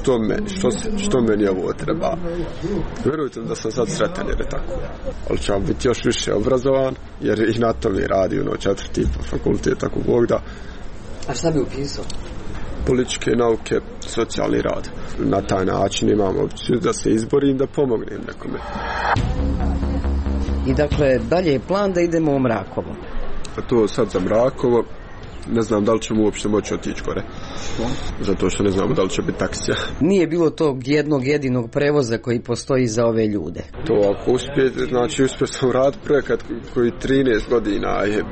što meni ovo treba. Vjerujte da sam sad sretan jer je tako. Ali ću biti još više obrazovan, jer i na to mi radi 4. fakultet, tako Bog da. A šta bi upisao? Političke nauke, socijalni rad. Na taj način imam opciju da se izborim, da pomognem nekome. I dakle, dalje je plan da idemo u Mrakovo. A to sad za Mrakovo, ne znam da li ćemo uopšte moći otići gore. Zato što ne znamo da li će biti taksija. Nije bilo tog jednog jedinog prevoza koji postoji za ove ljude. To ako uspio sam raditi projekat koji 13 godina je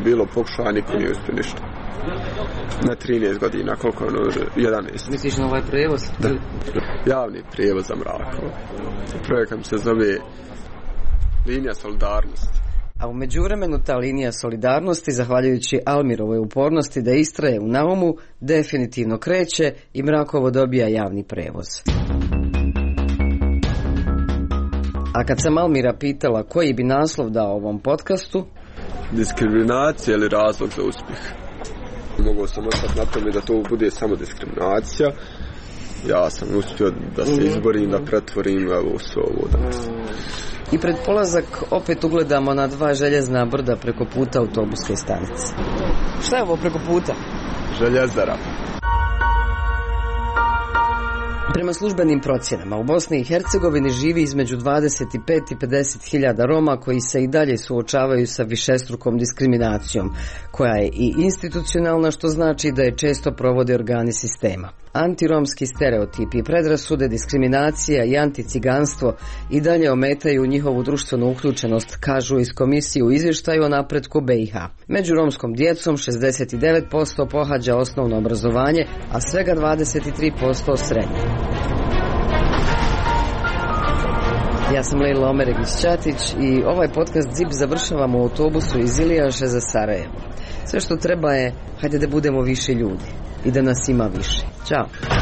bilo pokušao, niko nije uspio ništa. Na 13 godina, koliko 11. Misliš na ovaj prevoz? Da, javni prevoz za Mrakovo. Projekat se zove Linija solidarnosti. A u međuvremenu ta linija solidarnosti, zahvaljujući Almirovoj upornosti da istraje u naumu, definitivno kreće i Mrakovo dobija javni prevoz. A kad sam Almira pitala koji bi naslov dao ovom podcastu? Diskriminacija ili razlog za uspjeh? Mogao sam ostati na tome da to bude samo diskriminacija, ja sam uspio da se izborim, da pretvorim evo sve ovo danas. I pred polazak opet ugledamo na 2 željezna brda preko puta autobuske stanice. Šta je ovo preko puta? Željezara. Prema službenim procjenama, u Bosni i Hercegovini živi između 25 i 50 hiljada Roma koji se i dalje suočavaju sa višestrukom diskriminacijom, koja je i institucionalna, što znači da je često provode organi sistema. Antiromski stereotipi, predrasude, diskriminacija i anticiganstvo i dalje ometaju njihovu društvenu uključenost, kažu iz komisije u izvještaju o napretku BiH. Među romskom djecom 69% pohađa osnovno obrazovanje, a svega 23% srednje. Ja sam Lejla Omeregić-Ćatić i ovaj podcast ZIP završavamo u autobusu iz Ilijaše za Sarajevo. Sve što treba je, hajde da budemo više ljudi i da nas ima više. Ćao!